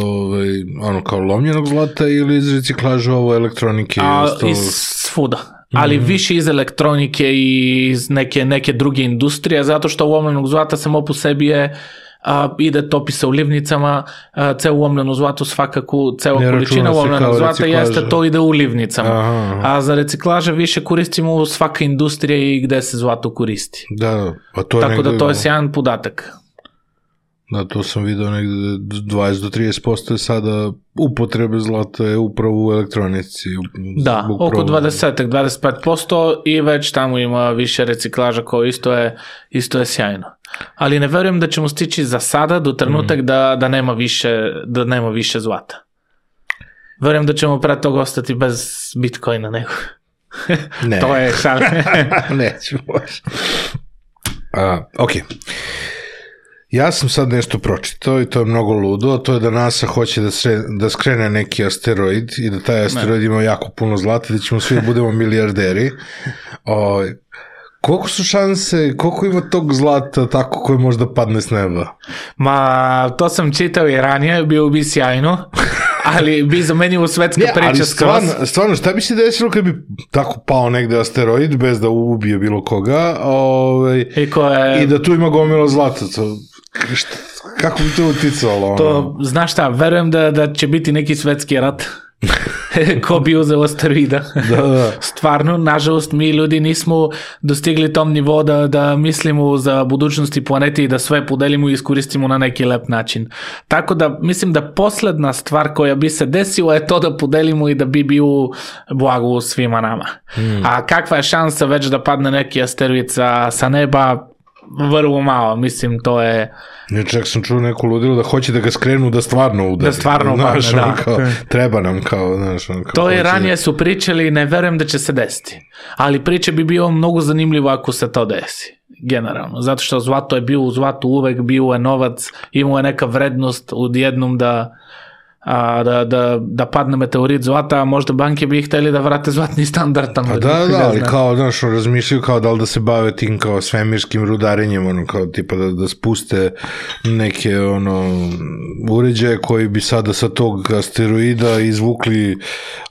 ovaj, ono kao lomljenog zlata ili iz reciklaže ovo elektronike? A, ostalo... iz svuda. Ali mm-hmm. više iz elektronike i iz neke, neke druge industrije, zato što lomljenog zlata samo po sebi je a, ide topi se u livnicama, a, ceo ulomljeno zlato svakako, cela količina ulomljenog zlata jeste, to ide u livnicama. Aha. A za reciklaže više koristimo svaka industrija i gde se zlato koristi. Da, pa to je tako negde... da to je sjajan podatak. Da, to sam vidio negde dvadeset do trideset posto je sada upotrebe zlata je upravo u elektronici. Da, upravo... oko dvadeset do dvadeset pet posto i već tamo ima više reciklaža koji isto je, isto je sjajno. Ali ne verujem da ćemo stići za sada do trenutak mm. da, da, nema više, da nema više zlata. Verujem da ćemo pre toga ostati bez Bitcoina nego. Ne. To je šal. Neću baš. Uh, ok. Ja sam sad nešto pročitao i to je mnogo ludo, a to je da NASA hoće da, sre, da skrene neki asteroid i da taj asteroid ne. ima jako puno zlata, da ćemo svi budemo milijarderi. O, koliko su šanse, koliko ima tog zlata tako koje možda padne s neba? Ma, to sam čitao i ranije, bio bi sjajno. Ali bi zamenio svetska ne, priča skroz. Stvarno, stvarno, šta bi se desilo kad bi tako pao negde asteroid bez da ubije bilo koga ovaj, I, je... i da tu ima gomilo zlata? To, šta, kako bi to uticalo? To, znaš šta, verujem da, da će biti neki svetski rat. Ko bi uzeo asteroida. Da, da. Stvarno, nažalost, mi ljudi nismo dostigli tom nivo da, da mislimo za budućnosti planete i da sve podelimo i iskoristimo na neki lep način. Tako da, mislim da posledna stvar koja bi se desila je to da podelimo i da bi bio blago svima nama. Hmm. A kakva je šansa već da padne neki asteroid sa, sa neba? Vrlo malo, mislim, to je... Ja čak sam čuo neku ludilo da hoće da ga skrenu da stvarno udari. Da stvarno upadne, da. Kao, treba nam kao, znaš, kao... To je ranije su pričali i ne verujem da će se desiti. Ali priče bi bio mnogo zanimljivo ako se to desi. Generalno. Zato što zlato je bio u zlatu uvek, bio je novac, imao je neka vrednost odjednom da... A, da, da, da padne meteorit zlata, a možda banke bi hteli da vrate zlatni standard tamo. A da, da, ali kao, znaš, razmišljaju kao da li da se bave tim kao svemirskim rudarenjem, ono, kao tipa da, da spuste neke, ono, uređaje koji bi sada sa tog asteroida izvukli,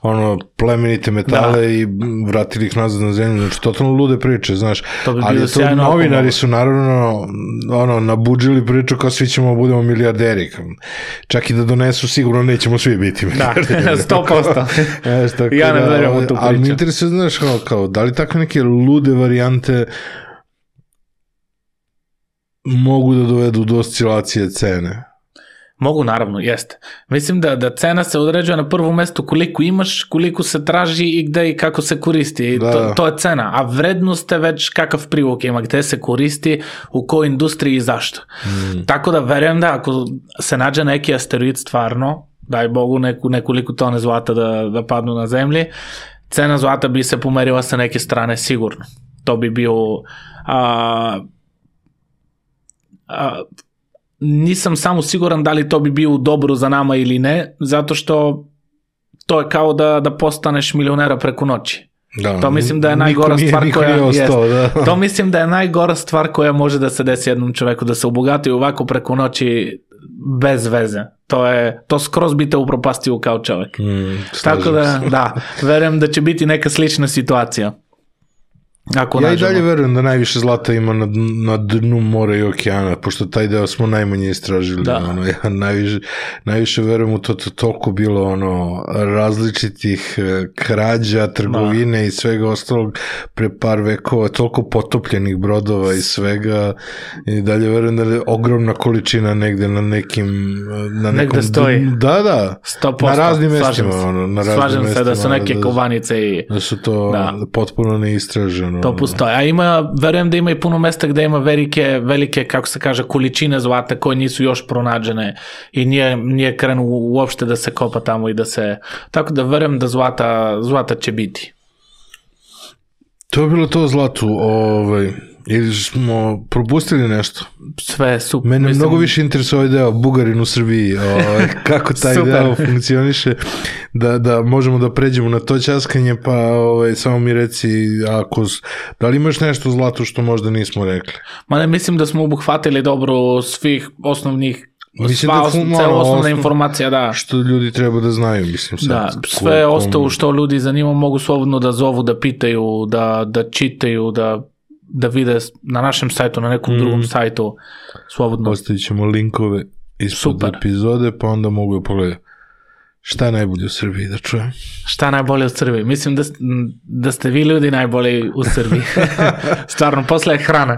ono, plemenite metale da. I vratili ih nazad na zemlju, znači, totalno lude priče, znaš, to bi ali to novinari su naravno, ono, nabuđili priču kao svi ćemo budemo milijarderi, čak i da donesu sigurno nećemo svi biti milijarderi. Da, sto posto. Ja ne verujem u tu priču. Ali mi interesuje, znaš, kao, kao, da li takve neke lude varijante mogu da dovedu do oscilacije cene? Mogu, naravno, jeste. Mislim da, da cena se određuje na prvom mestu koliko imaš, koliko se traži i gde i kako se koristi. Da. To, to je cena. A vrednost je već kakav privuk ima, gde se koristi, u kojoj industriji i zašto. Mm. Tako da verujem da ako se nađe neki asteroid stvarno, daj Bogu neku, nekoliko tone zlata da, da padnu na zemlji, cena zlata bi se pomerila sa neke strane sigurno. To bi bio... A, a, nisam samo siguran da li to bi bio dobro za nama ili ne, zato što to je kao da, da postaneš milionera preko noći. Da, to mislim da je najgora nije, stvar koja ostao, da. To mislim da je najgora stvar koja može da se desi jednom čoveku, da se obogati ovako preko noći bez veze. To je, to skroz bi te upropastio kao čovek. Mm, Tako da, da, verujem da će biti neka slična situacija. Ako ja nađemo. I dalje verujem da najviše zlata ima na, na dnu mora i okeana, pošto taj deo smo najmanje istražili. Da. Ono, ja najviše, najviše verujem u to, to toliko bilo ono, različitih krađa, trgovine da. I svega ostalog pre par vekova, toliko potopljenih brodova i svega. I dalje verujem da je ogromna količina negde na nekim... Na negde nekom, stoji. Da, da. sto posto. Na raznim mestima. Ono, na raznim Slažem mestima, se da su neke da, kovanice i... Da su to da. Potpuno neistraženo. To postoje. A ima, verujem da ima i puno mesta gde ima velike, velike, kako se kaže, količine zlata koje nisu još pronađene i nije, nije krenu uopšte da se kopa tamo i da se... Tako da verujem da zlata, zlata će biti. To je bilo to zlatu, ovaj... Ili smo propustili nešto? Sve je super. Mene mislim... mnogo više interesuje ovaj deo Bugarin u Srbiji, ovaj, kako taj deo funkcioniše, da, da možemo da pređemo na to ćaskanje, pa ovaj, samo mi reci, ako, da li imaš nešto zlato što možda nismo rekli? Ma ne, mislim da smo obuhvatili dobro svih osnovnih Mislim sva da osnov, malo, osnovna osnov, informacija, da. Što ljudi treba da znaju, mislim. Sad, da, sve kom... ostalo što ljudi zanima mogu slobodno da zovu, da pitaju, da, da čitaju, da da vide na našem sajtu, na nekom mm. drugom sajtu slobodno. Ostavit ćemo linkove ispod Super. Epizode, pa onda mogu da pogledati. Šta je najbolje u Srbiji, da čujem? Šta najbolje u Srbiji? Mislim da, da ste vi ljudi najbolji u Srbiji. Stvarno, posle je hrana,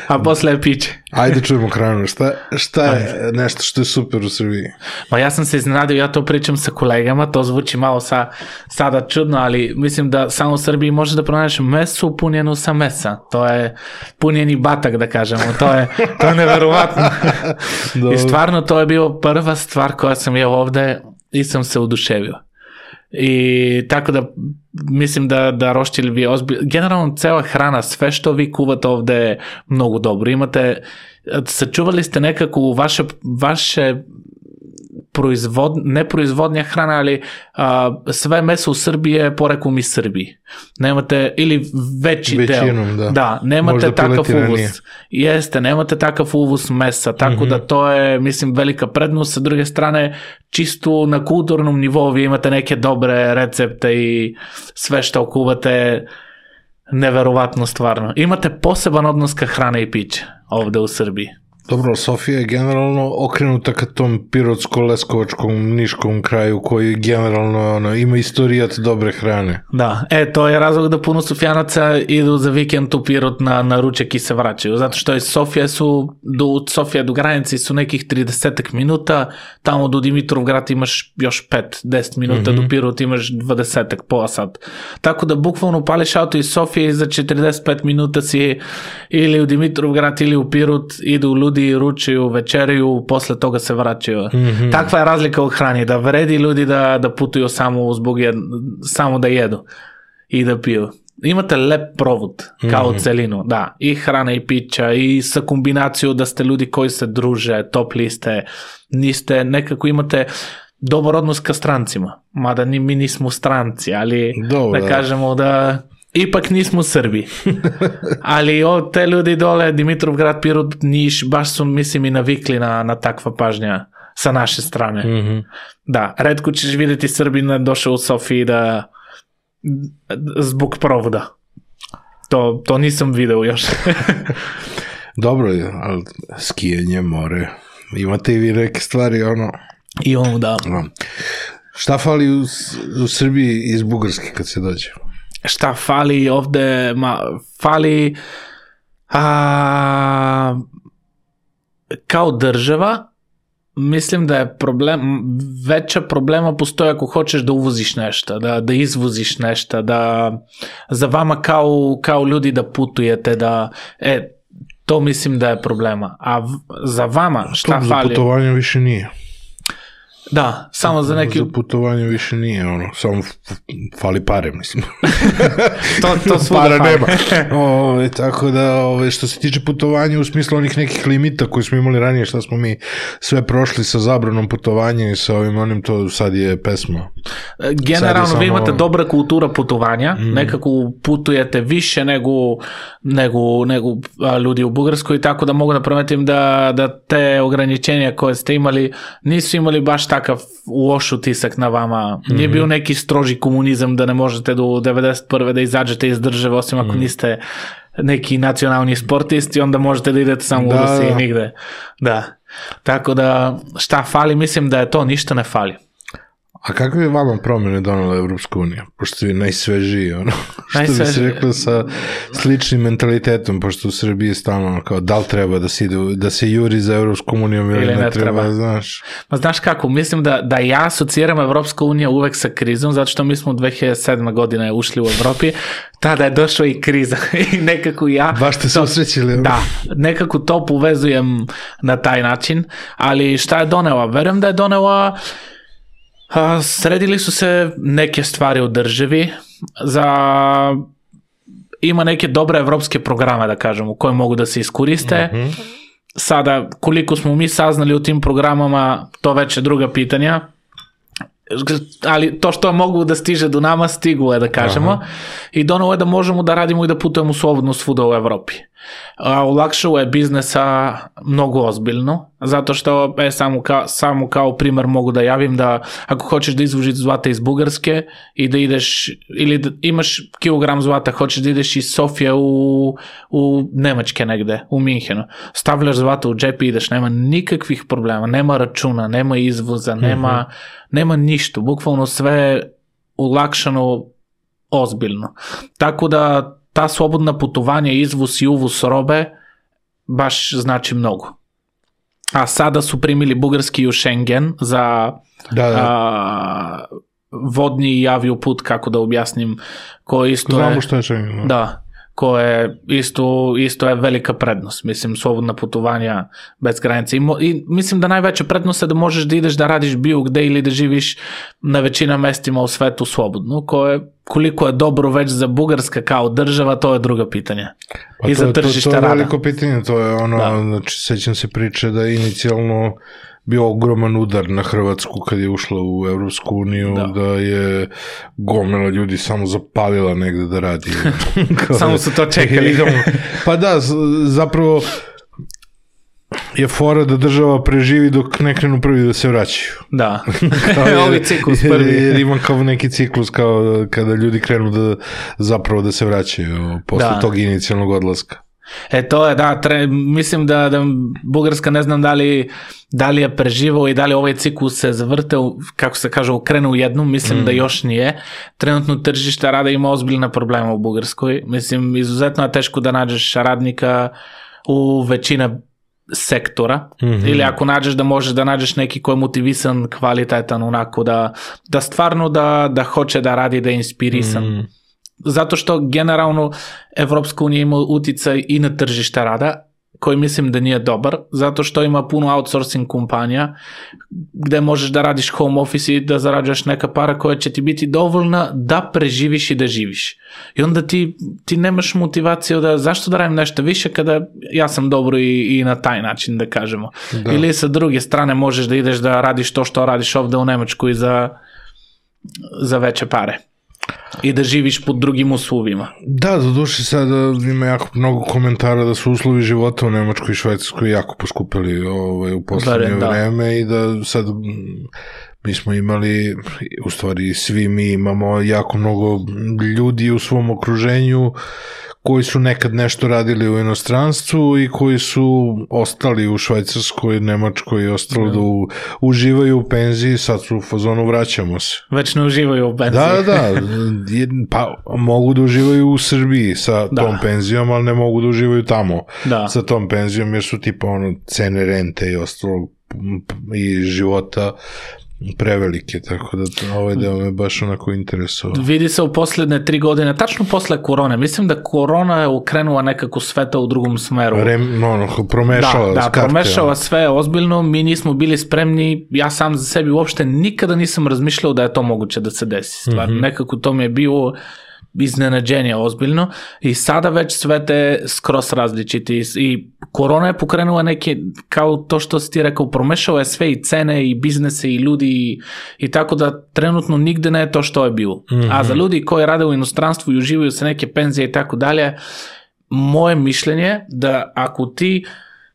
a posle je piće. Ajde čujemo hranu. Šta, šta je nešto što je super u Srbiji? Pa ja sam se iznenadio, ja to pričam sa kolegama, to zvuči malo sa, sada čudno, ali mislim da samo u Srbiji možeš da pronađeš mesu punjenu sa mesa. To je punjeni batak, da kažemo. To je, to je neverovatno. I stvarno to je bio prva stvar koja sam jeo ovde i sam se oduševio. I tako da mislim da, da roštilj vi ozbilj... Generalno cela hrana, sve što vi kuvate ovde je mnogo dobro. Imate, sačuvali ste nekako vaše, vaše proizvod, ne proizvodnja hrana, ali a, sve meso u Srbiji je poreklom iz Srbiji. Nemate, ili veći Većinom, deo. Da, da nemate možda takav uvuz. Ranije. Jeste, nemate takav uvuz mesa, tako mm-hmm. da to je, mislim, velika prednost. Sa druge strane, čisto na kulturnom nivou vi imate neke dobre recepte i sve što kuvate, neverovatno stvarno. Imate poseban odnos ka hrane i piće ovde u Srbiji. Dobro, Sofija je generalno okrenuta ka tom pirotsko-leskovačkom, niškom kraju koji generalno ono, ima istorijat dobre hrane. Da, e, to je razlog da puno Sofijanaca idu za vikend u Pirot na, na ručak i se vraćaju, zato što iz Sofije su, do Sofije do granice su nekih trideset minuta, tamo do Dimitrovgrad imaš još pet do deset minuta, mm-hmm. do Pirot imaš dvadeset, pola sat. Tako da bukvalno pališ auto iz Sofije i za četrdeset pet minuta si ili u Dimitrovgrad ili u Pirot, idu u ljudi ručaju, večeraju, posle toga se vraćaju. Mm-hmm. Takva je razlika u hrani, da vredi ljudi da, da putuju samo zbog jed, samo da jedu i da piju. Imate lep provod kao mm-hmm. celinu, da, i hrana i pića i sa kombinaciju da ste ljudi koji se druže, topli ste, niste, nekako imate dobar odnos ka strancima, mada ni, mi nismo stranci, ali Dobre. da kažemo da ipak nismo u Srbiji. Ali o, te ljudi dole, Dimitrovgrad, Pirot, Niš, baš su, mislim, i navikli na, na takva pažnja sa naše strane. Mm-hmm. Da, redko ćeš vidjeti Srbina došao u Sofiji da zbog provoda. To, to nisam video još. Dobro, ali skijanje, more, imate i vi neke stvari, ono... I ono, da. No. Šta fali u, u Srbiji iz Bugarske kad se dođe? Šta fali ovde, ma, fali a, kao država, mislim da je problem, veća problema postoje ako hoćeš da uvoziš nešto, da, da izvoziš nešto, da za vama kao, kao ljudi da putujete, da, e, to mislim da je problema. A v, za vama šta to fali? Za putovanje više nije. Da, samo za neki... Za putovanje više nije, ono, samo fali pare, mislim. to, to svuda para fali. nema. O, tako da, ove, što se tiče putovanja u smislu onih nekih limita koji smo imali ranije, šta smo mi sve prošli sa zabranom putovanja i sa ovim onim, to sad je pesma. Generalno, samo... vi imate dobra kultura putovanja, mm. nekako putujete više nego, nego, nego a, ljudi u Bugarskoj, tako da mogu da prometim da, da te ograničenja koje ste imali, nisu imali baš takav loš utisak na vama. Nije bio neki stroži komunizam da ne možete do devedeset prve da izađete iz države, osim ako niste neki nacionalni sportisti, onda možete da idete samo da, u Rusiji i nigde. Da. Tako da, šta fali? Mislim da je to, ništa ne fali. A kakve je vama promjene donala Evropska unija? Pošto ste vi najsvežiji, ono, što najsvežiji. bi se reklo sa sličnim mentalitetom, pošto u Srbiji je stalno kao da li treba da se, ide, da se juri za Evropskom unijom ili, ili ne, ne treba, treba, znaš. Ma znaš kako, mislim da, da ja asocijeram Evropska unija uvek sa krizom, zato što mi smo u dve hiljade sedme godine ušli u Evropi, tada je došla i kriza i nekako ja... Baš ste se osrećili. Da, nekako to povezujem na taj način, ali šta je donela? Verujem da je donela... A, sredili su se neke stvari u državi, za, ima neke dobre evropske programe, da kažemo, koje mogu da se iskoriste. Mm-hmm. Sada, koliko smo mi saznali u tim programama, to već je druga pitanja, ali to što mogu da stiže do nama, stigu je, da kažemo. Aha. I donalo je da možemo da radimo i da putujemo slobodno svuda u Evropi. A, olakšalo je biznesa mnogo ozbiljno, zato što e, samo, kao, samo kao primer mogu da javim da ako hoćeš da izvožiš zlata iz Bugarske i da ideš, ili da imaš kilogram zlata, hoćeš da ideš iz Sofije u, u Nemačke negde, u Minhenu, stavljaš zlata u džep i ideš, nema nikakvih problema, nema računa, nema izvoza, nema, mm-hmm. nema ništa, bukvalno sve olakšano ozbiljno. Tako da ta slobodna putovanja, izvoz i uvoz robe baš znači mnogo. A sada su primili bugarski u Schengen za da, da. A, vodni i avioput, kako da objasnim, ko isto Znamo je, što je Schengen. No? Da, ko je isto, isto je velika prednost. Mislim, slobodna putovanja bez granice. I, mo, I mislim da najveća prednost je da možeš da ideš da radiš bilo gde ili da živiš na većina mestima u svetu slobodno, koje koliko je dobro već za Bugarska kao država, to je druga pitanja. Pa I to, za tržište rada. To, to je rada. veliko pitanje, to je ono, da. Znači, sećam se priče da je inicijalno bio ogroman udar na Hrvatsku kad je ušla u Evropsku uniju, da, da je gomila ljudi samo zapalila negde da radi. Samo su to čekali. Pa da, zapravo je fora da država preživi dok ne krenu prvi da se vraćaju. Da, ovi ciklus prvi. Jer ima kao neki ciklus kao kada ljudi krenu da zapravo da se vraćaju posle da. tog inicijalnog odlaska. E to je, da, tre, mislim da, da Bugarska ne znam da li, da li je preživao i da li ovaj ciklus se zavrteo, kako se kaže, ukrenu u jednu, mislim mm. da još nije. Trenutno tržište rada ima ozbiljna problema u Bugarskoj. Mislim, izuzetno je teško da nađeš radnika u većina sektora, mm-hmm. ili ako nađeš da možeš da nađeš neki ko je motivisan, kvalitetan, onako da, da stvarno da, da hoće da radi, da je inspirisan. Mm. Zato što generalno Evropska unija ima uticaj i na tržište rada, koji mislim da nije dobar, zato što ima puno outsourcing kompanija gde možeš da radiš home office i da zarađuješ neka para koja će ti biti dovoljna da preživiš i da živiš. I onda ti, ti nemaš motivaciju da zašto da radim nešto više kada ja sam dobro i, i na taj način da kažemo. Da. Ili sa druge strane možeš da ideš da radiš to što radiš ovde u Nemačkoj za, za veće pare. I da živiš pod drugim uslovima. Da, do duše sada ima jako mnogo komentara da su uslovi života u Nemačkoj i Švajcarskoj jako poskupili ovaj, u poslednje da. vreme i da sad mi smo imali, u stvari svi mi imamo jako mnogo ljudi u svom okruženju koji su nekad nešto radili u inostranstvu i koji su ostali u Švajcarskoj, Nemačkoj i ostalo da, da u, uživaju u penziji, sad su u fazonu vraćamo se. Već ne uživaju u penziji. Da, da, pa mogu da uživaju u Srbiji sa da. tom penzijom, ali ne mogu da uživaju tamo da. sa tom penzijom, jer su tipa ono cene rente i ostalo i života prevelike, tako da ovaj deo me baš onako interesovao. Vidi se u poslednje tri godine, tačno posle korone, mislim da korona je ukrenula nekako sveta u drugom smeru. Rem, no, no, promešala. Da, da skarte, promešala ja. sve ozbiljno, mi nismo bili spremni, ja sam za sebi uopšte nikada nisam razmišljao da je to moguće da se desi stvar. Mm-hmm. Nekako to mi je bilo iznenađenje ozbiljno i sada već sve te skroz različiti i korona je pokrenula neke, kao to što si ti rekao, promešao je sve i cene i biznese i ljudi i, i tako da trenutno nigde ne je to što je bilo. Mm-hmm. A za ljudi koji rade u inostranstvu i uživaju se neke penzije i tako dalje, moje mišljenje da ako ti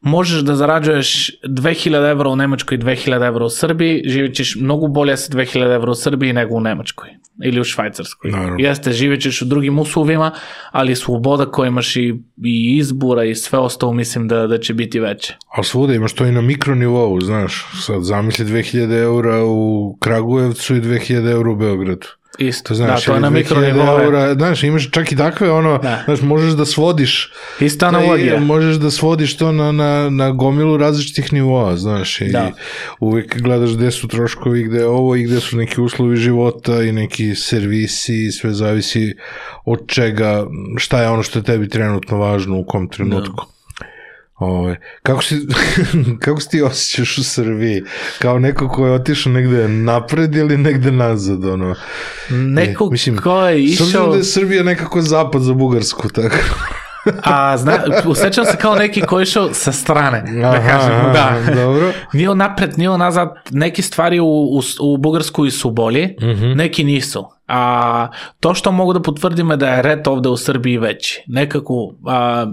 možeš da zarađuješ dve hiljade evra u Nemačkoj i dve hiljade evra u Srbiji, živjet ćeš mnogo bolje sa dve hiljade evra u Srbiji nego u Nemačkoj ili u Švajcarskoj. Naravno. Jeste, živjet ćeš u drugim uslovima, ali sloboda koja imaš i, i izbora i sve ostalo mislim da, da će biti veće. Ali svuda imaš to i na mikronivou, znaš, sad zamisli dve hiljade eura u Kragujevcu i dve hiljade eura u Beogradu. Isto, znaš, da, to je na mikronivou. Znaš, imaš čak i takve, ono, da. znaš, možeš da svodiš. Isto analogija. Možeš da svodiš to na, na, na gomilu različitih nivoa, znaš, i da. uvek gledaš gde su troškovi, gde je ovo i gde su neki uslovi života i neki servisi i sve zavisi od čega, šta je ono što je tebi trenutno važno u kom trenutku. Da. Ove, kako, si, kako si ti osjećaš u Srbiji? Kao neko ko je otišao negde napred ili negde nazad? Ono? Neko e, mislim, ko je išao... S obzirom da je Srbija nekako zapad za Bugarsku, tako... A zna, usjećam se kao neki koji je išao sa strane, da aha, kažem, da. Dobro. Nije napred, nije nazad, neki stvari u, u, u Bugarskoj su bolji, mm-hmm. neki nisu. A to što mogu da potvrdim je da je red ovde u Srbiji veći. Nekako, a,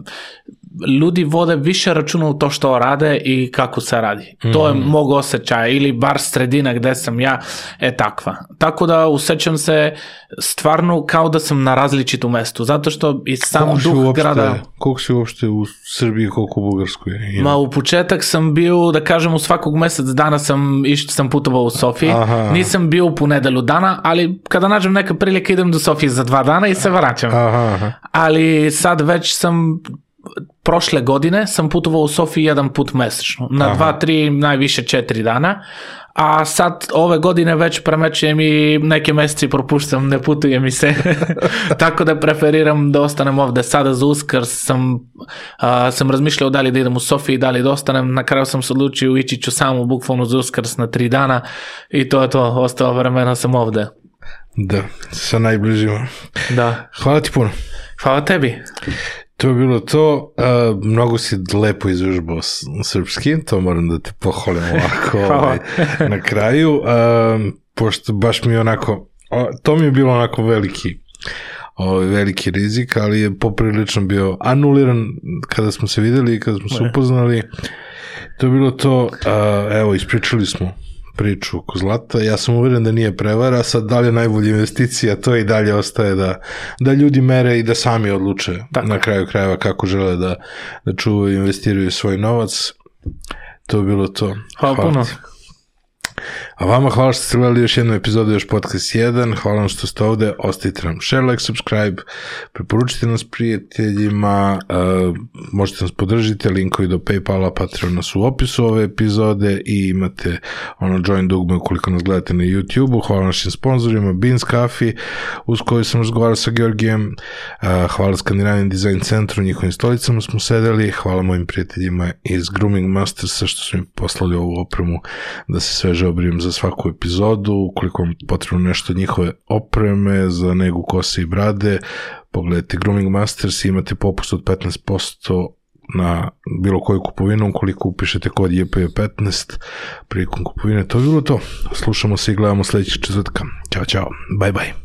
ljudi vode više računa u to što rade i kako se radi. Mm-hmm. To je mog osjećaja, ili bar sredina gde sam ja je takva. Tako da osjećam se stvarno kao da sam na različitom mestu, zato što i sam koliko duh uopšte, grada... Koliko si uopšte u Srbiji, koliko u Bugarskoj? Ima? Ma u početak sam bio, da kažem, u svakog mesec dana sam, išt, sam putovao u Sofiji. Aha. Nisam bio u ponedelju dana, ali kada nađem neka prilika idem do Sofije za dva dana i se vraćam. Aha, aha. Ali sad već sam... Prošle godine sam putovao u Sofiji jedan put mesečno, na aha. dva, tri, najviše četiri dana, a sad ove godine već premećujem i neke meseci propuštam, ne putujem mi se, tako da preferiram da ostanem ovde. Sada za Uskrs sam, a, sam razmišljao da li da idem u Sofiji, da li da ostanem, na kraju sam se odlučio, ići ću samo bukvalno za Uskrs na tri dana i to je to, ostalo vremena sam ovde. Da, sa najbližima. Da. Hvala ti puno. Hvala tebi. To je bilo to, uh, mnogo si lepo izužbao srpski, to moram da te pohvalim ovako ovaj, na kraju, uh, pošto baš mi je onako, to mi je bilo onako veliki, ovaj, veliki rizik, ali je poprilično bio anuliran kada smo se videli i kada smo se upoznali. To je bilo to, uh, evo, ispričali smo priču oko zlata. Ja sam uveren da nije prevara, sad da li je najbolja investicija, to i dalje ostaje da, da ljudi mere i da sami odluče tako na kraju krajeva kako žele da, da čuvaju i investiraju svoj novac. To je bilo to. Hvala, hvala puno. Ti. A vama hvala što ste gledali još jednu epizodu Još podcast jedan, hvala vam što ste ovde, ostavite nam share, like, subscribe, preporučite nas prijateljima, uh, možete nas podržiti, linkovi do Paypala, Patreona su u opisu ove epizode i imate ono join dugme ukoliko nas gledate na YouTube-u. Hvala našim sponsorima, Beans Coffee, uz koju sam razgovarao sa Georgijem, uh, hvala Skandinavian Design Centru, njihovim stolicama smo sedeli, hvala mojim prijateljima iz Grooming Mastersa što su mi poslali ovu opremu da se sveže obrijem za svaku epizodu. Ukoliko vam potrebno nešto od njihove opreme za negu kose i brade, pogledajte Grooming Masters i imate popust od petnaest posto na bilo koju kupovinu ukoliko upišete kod J P petnaest prilikom kupovine. To je bilo to. Slušamo se i gledamo sledećeg četvrtka. Ćao, čao. Bye, bye.